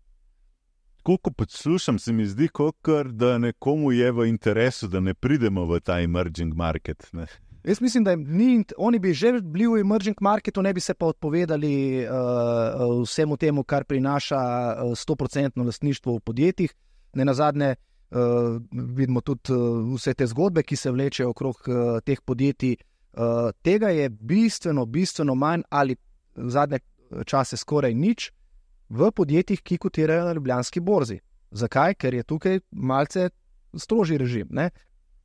Koliko poslušam, se mi zdi, kot da nekomu je v interesu, da ne pridemo v ta emerging market. Ne? Jaz mislim, da ni, oni bi že bili v emerging marketu, ne bi se pa odpovedali uh, vsemu temu, kar prinaša sto procentno lastništvo v podjetjih. Ne nazadnje uh, vidimo tudi uh, vse te zgodbe, ki se vlečejo okrog uh, teh podjetij. Uh, tega je bistveno, bistveno manj ali v zadnje čase skoraj nič v podjetjih, ki kotirajo na Ljubljanski borzi. Zakaj? Ker je tukaj malce strožji režim, ne?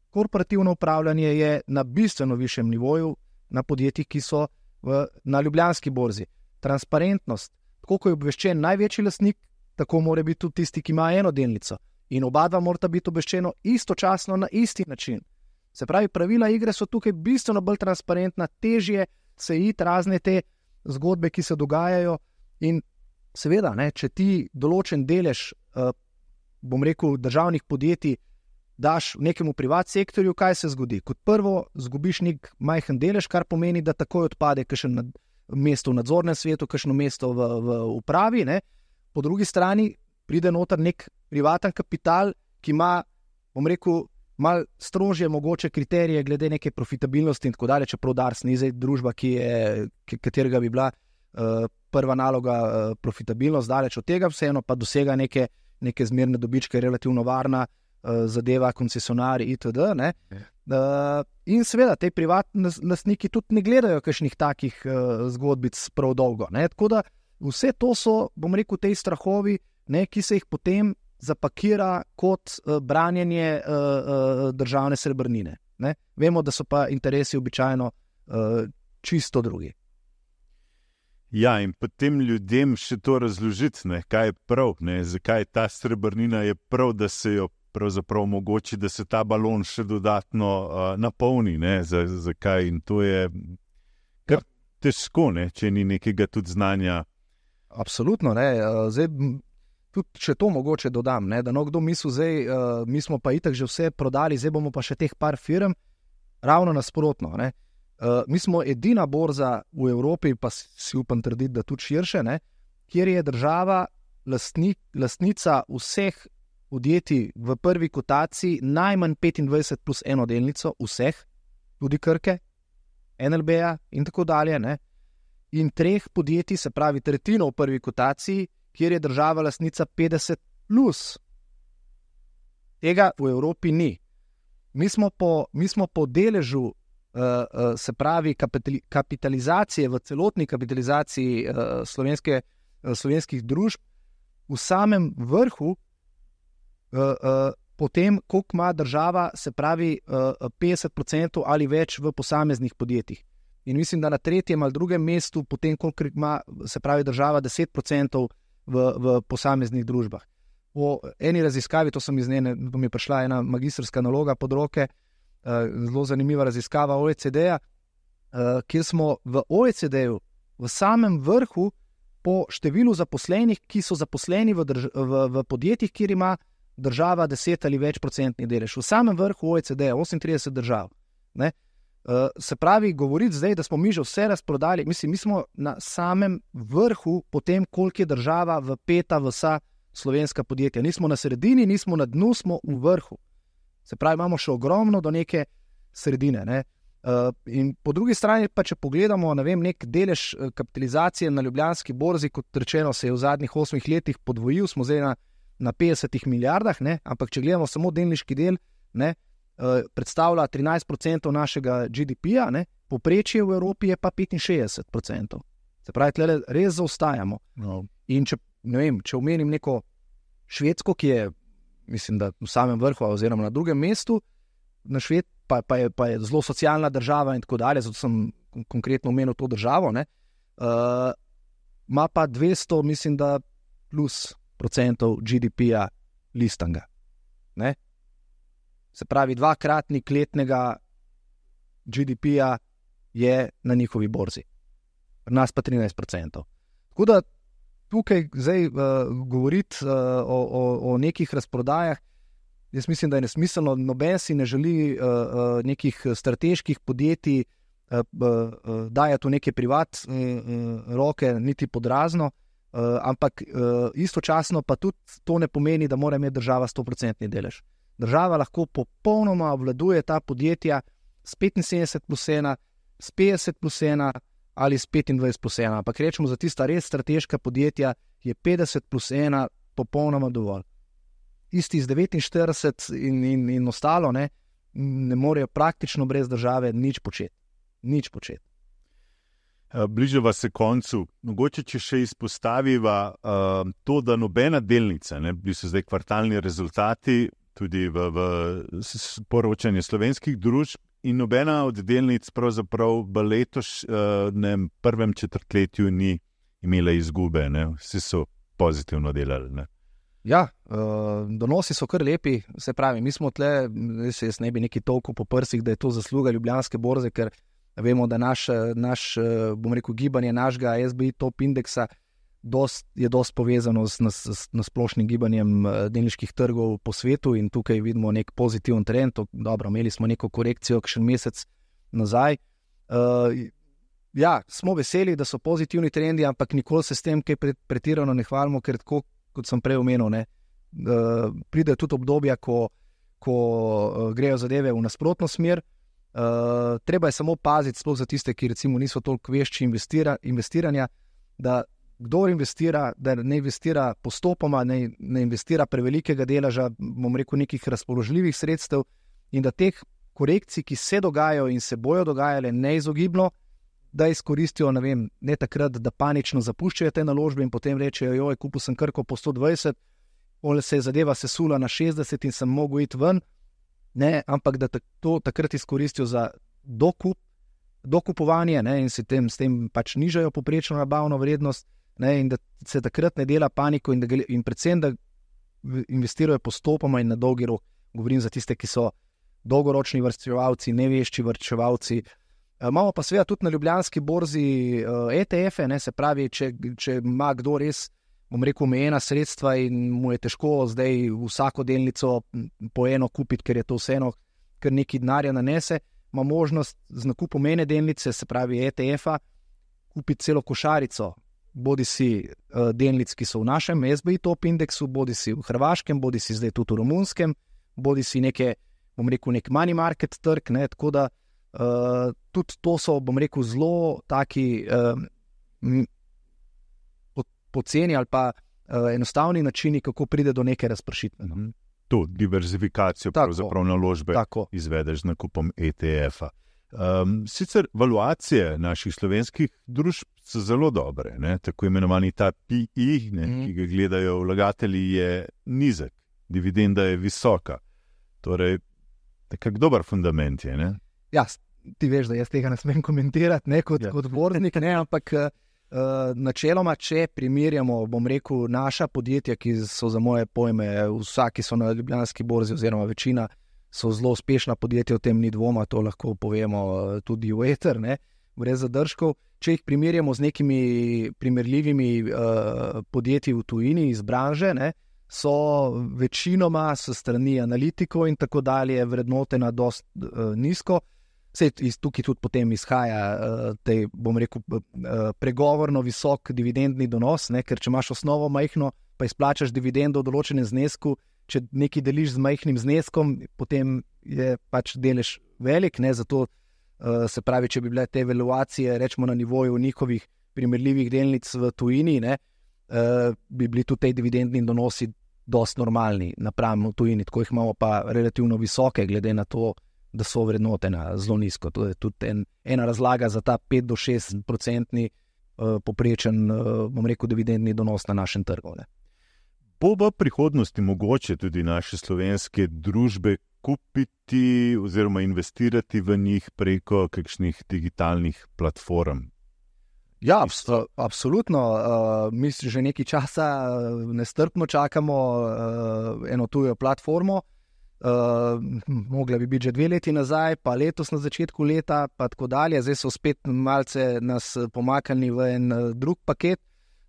Korporativno upravljanje je na bistveno višjem nivoju na podjetjih, ki so v, na Ljubljanski borzi. Transparentnost, tako ko je obveščen največji lastnik, tako mora biti tudi tisti, ki ima eno delnico. In oba dva morata biti obveščeno istočasno na isti način. Se pravi, pravila igre so tukaj bistveno bolj transparentna, težje se iti razne te zgodbe, ki se dogajajo. In seveda, ne, če ti določen delež, uh, bom rekel, državnih podjetij, daš nekemu privat sektorju, kaj se zgodi? Kot prvo, zgubiš nek majhen delež, kar pomeni, da takoj odpade kakšno mesto v nadzornem svetu, kakšno mesto v, v upravi. Ne? Po drugi strani pride noter nek privaten kapital, ki ima, bom rekel, malo strožje mogoče kriterije glede neke profitabilnosti in tako dalje, čeprav Dars ni zdaj družba, ki je, katerega bi bila uh, prva naloga uh, profitabilnost, daleč od tega, vseeno pa dosega neke, neke zmerne dobičke, relativno varna, zadeva koncesionarji itd. Ne? Uh, in seveda, te privatni lastniki tudi ne gledajo kakšnih takih uh, zgodbic prav dolgo. Ne? Tako da vse to so, bom rekel, te strahovi, ne, ki se jih potem zapakira kot uh, branjenje uh, uh, državne srebrnine. Ne? Vemo, da so pa interesi običajno uh, čisto drugi. Ja, in potem ljudem še to razložiti, ne, kaj je prav, ne, zakaj ta srebrnina je prav, da se jo pravzaprav omogoči, da se ta balon še dodatno uh, napolni, ne, zakaj, in to je kar težko, ne, če ni nekega tudi znanja. Absolutno, ne, zdaj, tudi če to mogoče dodam, ne, da no kdo misli, zdaj, uh, mi smo pa itak že vse prodali, zdaj bomo pa še teh par firm, ravno nasprotno, ne. Uh, mi smo edina borza v Evropi, pa si upam trditi, da tudi širše, ne, kjer je država lastnik, lastnica vseh podjetij v prvi kotaciji najmanj petindvajset plus eno delnico vseh, tudi Krke, N L B-ja in tako dalje, ne? In treh podjetij, se pravi tretjino v prvi kotaciji, kjer je država lastnica petdeset plus. Tega v Evropi ni. Mi smo po, mi smo po deležu, uh, uh, se pravi kapitalizacije, v celotni kapitalizaciji uh, slovenske, uh, slovenskih družb v samem vrhu, Uh, uh, potem, koliko ima država, se pravi uh, petdeset procentov ali več v posameznih podjetjih. In mislim, da na tretjem ali drugem mestu, potem, koliko ima, se pravi država, deset procentov v, v posameznih družbah. Po eni raziskavi, to sem iz njene, mi je prišla ena magistrska naloga pod roke, uh, zelo zanimiva raziskava O E C D-ja, uh, kjer smo v O E C D-ju v samem vrhu po številu zaposlenih, ki so zaposleni v, drž- v, v podjetjih, kjer ima država deset ali več procentni delež. V samem vrhu O E C D-ja, osemintrideset držav. Ne? Uh, se pravi, govoriti zdaj, da smo mi že vse razprodali, mislim, mi smo na samem vrhu potem, koliko je država vpeta v vsa slovenska podjetja. Nismo na sredini, nismo na dnu, smo v vrhu. Se pravi, imamo še ogromno do neke sredine. Ne? Uh, in po drugi strani pa, če pogledamo, ne vem, nek delež kapitalizacije na Ljubljanski borzi, kot rečeno, se je v zadnjih osmih letih podvojil, smo zdaj na, na petdesetih milijardah, ne? Ampak če gledamo samo delniški del, ne, uh, predstavlja trinajst procentov našega G D P-ja, ne? Povprečje v Evropi je pa petinšestdeset procentov. Se pravi, tle res zaostajamo. No. In če, ne vem, če omenim neko Švedsko, ki je, mislim, da v samem vrhu oziroma na drugem mestu, na Šved, pa, pa, je, pa je zelo socialna država in tako dalje, zato sem konkretno omenil to državo, ne, uh, ima pa dvesto, mislim, da plus procentov G D P-ja listanga. Ne. Se pravi, dvakratnik letnega G D P-ja je na njihovi borzi. Pri nas pa trinajst procentov. Tako da tukaj zdaj uh, govoriti uh, o, o, o nekih razprodajah, jaz mislim, da je nesmiselno, noben si ne želi uh, uh, nekih strateških podjetij uh, uh, dajati v neke privat uh, uh, roke, niti pod razno, uh, ampak uh, istočasno pa tudi to ne pomeni, da mora imeti država sto procentni delež. Država lahko popolnoma obvladuje ta podjetja s petinsedemdeset plus ena, s petdeset plus ena ali s petindvajset plus ena, ampak rečemo, za tista res strateška podjetja je petdeset plus ena popolnoma dovolj. Isti z devetinštirideset in, in, in ostalo, ne, ne morejo praktično brez države nič početi. Nič početi. Bližava se koncu. Mogoče, če še izpostaviva uh, to, da nobena delnica, ne, bili so zdaj kvartalni rezultati, tudi v, v poročanju slovenskih družb, in nobena od delnic pravzaprav v letošnjem prvem četrtletju ni imela izgube. Ne. Vsi so pozitivno delali. Ne. Ja, donosi so kar lepi, se pravi, mi smo tle, jaz ne bi neki tolko po prsih, da je to zasluga Ljubljanske borze, ker vemo, da naš, naš bom rekel, gibanje našega S B I top indeksa dost, je dost povezano s, s, s splošnim gibanjem delniških trgov po svetu in tukaj vidimo nek pozitiven trend. Dobro, imeli smo neko korekcijo kakšen mesec nazaj. Uh, ja, smo veseli, da so pozitivni trendi, ampak nikoli se s tem kaj pretirano ne hvalimo, ker tako, kot sem prej omenil, ne, uh, pride tudi obdobja, ko, ko uh, grejo zadeve v nasprotno smer. Uh, treba je samo paziti, sploh za tiste, ki recimo niso toliko vešči investira, investiranja, da kdor investira, da ne investira postopoma, ne, ne investira prevelikega deleža, bom rekel, nekih razpoložljivih sredstev in da teh korekcij, ki se dogajajo in se bojo dogajale neizogibno, da izkoristijo, ne vem, ne takrat, da panično zapuščajo te naložbe in potem rečejo, joj, kupil sem Krko po sto dvajset, ole se je zadeva sesula na šestdeset in sem mogel iti ven, ne, ampak da to takrat izkoristijo za dokup, dokupovanje, ne, in se tem, s tem pač nižajo poprečno nabavno vrednost, ne, in da se takrat ne dela paniko in, da, in predvsem, da investirajo postopoma in na dolgi rok. Govorim za tiste, ki so dolgoročni varčevalci, nevešči varčevalci. E, imamo pa seveda tudi na Ljubljanski borzi uh, E T F-e, ne, se pravi, če, če ima kdo res, bom rekel, omejena sredstva in mu je težko zdaj vsako delnico po eno kupiti, ker je to vseeno, ker neki denarja nanese, ima možnost z nakupom ene delnice, se pravi E T F-a, kupiti celo košarico, bodi si uh, delnic, ki so v našem S B I top indeksu, bodi si v hrvaškem, bodi si zdaj tudi v romunskem, bodi si neke, bom rekel, nek money market trg, ne, tako da uh, tudi to so, bom rekel, zelo taki uh, poceni ali pa uh, enostavni načini, kako pride do neke razpršitve. No. To diverzifikacijo pravzaprav naložbe tako izvedeš z nakupom E T F-a. Um, sicer valuacije naših slovenskih družb so zelo dobre, ne? Tako imenovani ta P I, ne? Mm. ki ga gledajo vlagatelji, je nizek, dividenda je visoka. Torej, nekak dober fundament je. Ne? Ja, ti veš, da jaz tega ne smem komentirati, ne kot, ja. kot borznik, ne, ampak uh, načeloma, če primerjamo, bom rekel, naša podjetja, ki so za moje pojme, vsaki so na Ljubljanski borzi oziroma večina, so zelo uspešna podjetja, v tem ni dvoma, to lahko povemo tudi v eter, ne. brez zadržkov. Če jih primerjamo z nekimi primerljivimi uh, podjetji v tujini iz branže, ne, so večinoma s strani analitikov in tako dalje vrednotena dost uh, nizko. Sej iz tukaj tudi potem izhaja uh, tej, bom rekel, uh, pregovorno visok dividendni donos, ne, ker če imaš osnovo majhno, pa izplačaš dividendo v določenem znesku, če nekaj deliš z majhnim zneskom, potem je pač delež velik, ne, zato uh, se pravi, če bi bile te valuacije, rečemo na nivoju njihovih primerljivih delnic v tujini, ne, Uh, bi bili tudi te dividendni donosi dost normalni napram v tujini, tako jih imamo pa relativno visoke, glede na to, da so vrednotena zelo nizko. To je tudi en, ena razlaga za ta pet do šest procentni uh, poprečen, uh, bom rekel, dividendni donos na našem trgu. Ne. Bo v prihodnosti mogoče tudi naše slovenske družbe kupiti oziroma investirati v njih preko kakšnih digitalnih platform? Ja, absolutno. Uh, mi že nekaj časa nestrpno čakamo uh, eno tujo platformo. Uh, mogla bi biti že dve leti nazaj, pa letos na začetku leta, pa tako dalje. Zdaj so spet malce nas pomaknili v en uh, drug paket.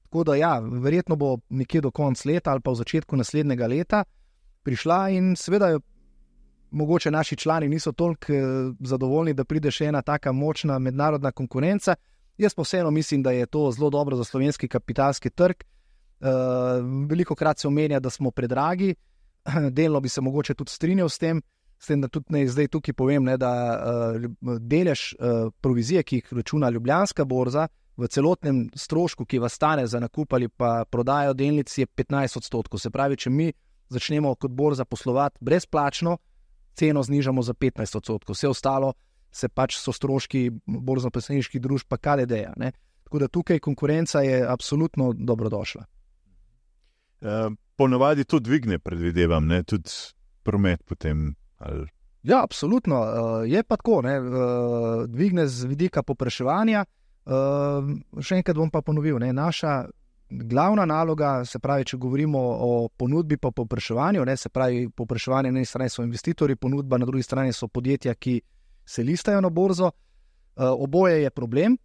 Tako da ja, verjetno bo nekje do konca leta ali pa v začetku naslednjega leta prišla in seveda mogoče naši člani niso toliko uh, zadovoljni, da pride še ena taka močna mednarodna konkurenca. Jaz pa vseeno mislim, da je to zelo dobro za slovenski kapitalski trg. Uh, veliko krat se omenja, da smo predragi, delno bi se mogoče tudi strinjal s tem, s tem da tudi ne, zdaj tukaj povem, ne, da uh, delež uh, provizije, ki jih računa Ljubljanska borza, v celotnem strošku, ki vas stane za nakup ali pa prodajo delnic, je petnajst odstotkov. Se pravi, če mi začnemo kot borza poslovati brezplačno, ceno znižamo za petnajst odstotkov. Vse ostalo se pač so stroški borzno-posredniških družb pa K D D-ja. Tako da tukaj konkurenca je absolutno dobrodošla. E, ponavadi to dvigne, predvidevam, ne? Tudi promet potem. Ali... Ja, absolutno. E, je pa tako, ne? E, dvigne z vidika popraševanja. E, še enkrat bom pa ponovil, ne? Naša glavna naloga, se pravi, če govorimo o ponudbi pa popraševanju, ne? Se pravi, popraševanje na eni strani so investitorji, ponudba na drugi strani so podjetja, ki se listajo na borzo. Uh, oboje je problem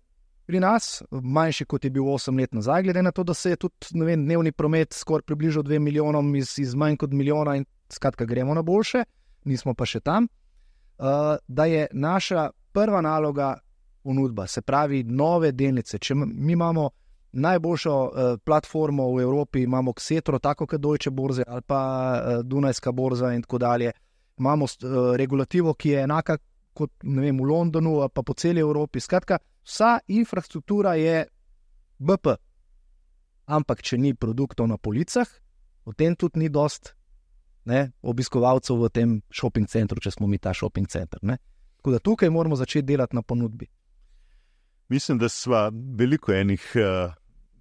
pri nas, manjši kot je bil osem let nazaj, glede na to, da se je tudi, ne vem, dnevni promet skoraj približal dve milijonom iz, iz manj kot milijona in skratka gremo na boljše, nismo pa še tam. Uh, da je naša prva naloga ponudba, se pravi nove delnice. Če mi imamo najboljšo uh, platformo v Evropi, imamo Xetro, tako kot Deutsche Börse ali pa uh, Dunajska borza in tako dalje, imamo uh, regulativo, ki je enaka kot ne vem, v Londonu, pa po celi Evropi. Skratka, vsa infrastruktura je B P. Ampak, če ni produktov na policah, potem tudi ni dost ne, obiskovalcev v tem shopping centru, če smo mi ta shopping center. Ne. Tako da tukaj moramo začeti delati na ponudbi. Mislim, da sva veliko enih uh,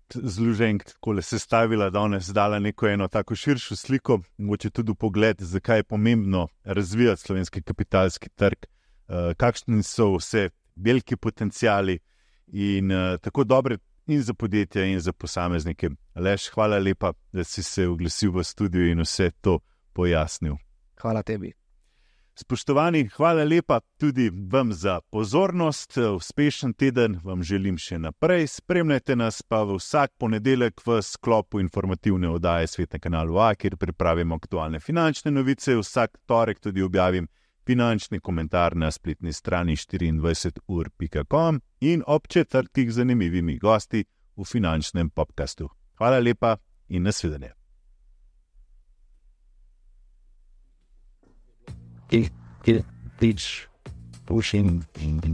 zloženk takole sestavila, danes dala neko eno tako širšo sliko, mogoče tudi pogled, zakaj je pomembno razvijati slovenski kapitalski trg, Uh, kakšni so vse veliki potencijali in uh, tako dobre in za podjetja in za posameznike. Aleš, hvala lepa, da si se oglasil v studiu in vse to pojasnil. Hvala tebi. Spoštovani, hvala lepa tudi vam za pozornost. Uspešen teden vam želim še naprej. Spremljajte nas pa v vsak ponedeljek v sklopu informativne oddaje Svet na kanalu A, kjer pripravimo aktualne finančne novice. Vsak torek tudi objavim finančni komentar na spletni strani štiriindvajset ur pika com in ob četrtkih z zanimivimi gosti v finančnem podcastu. Hvala lepa in nasvidenje. It, it, it's pushing in the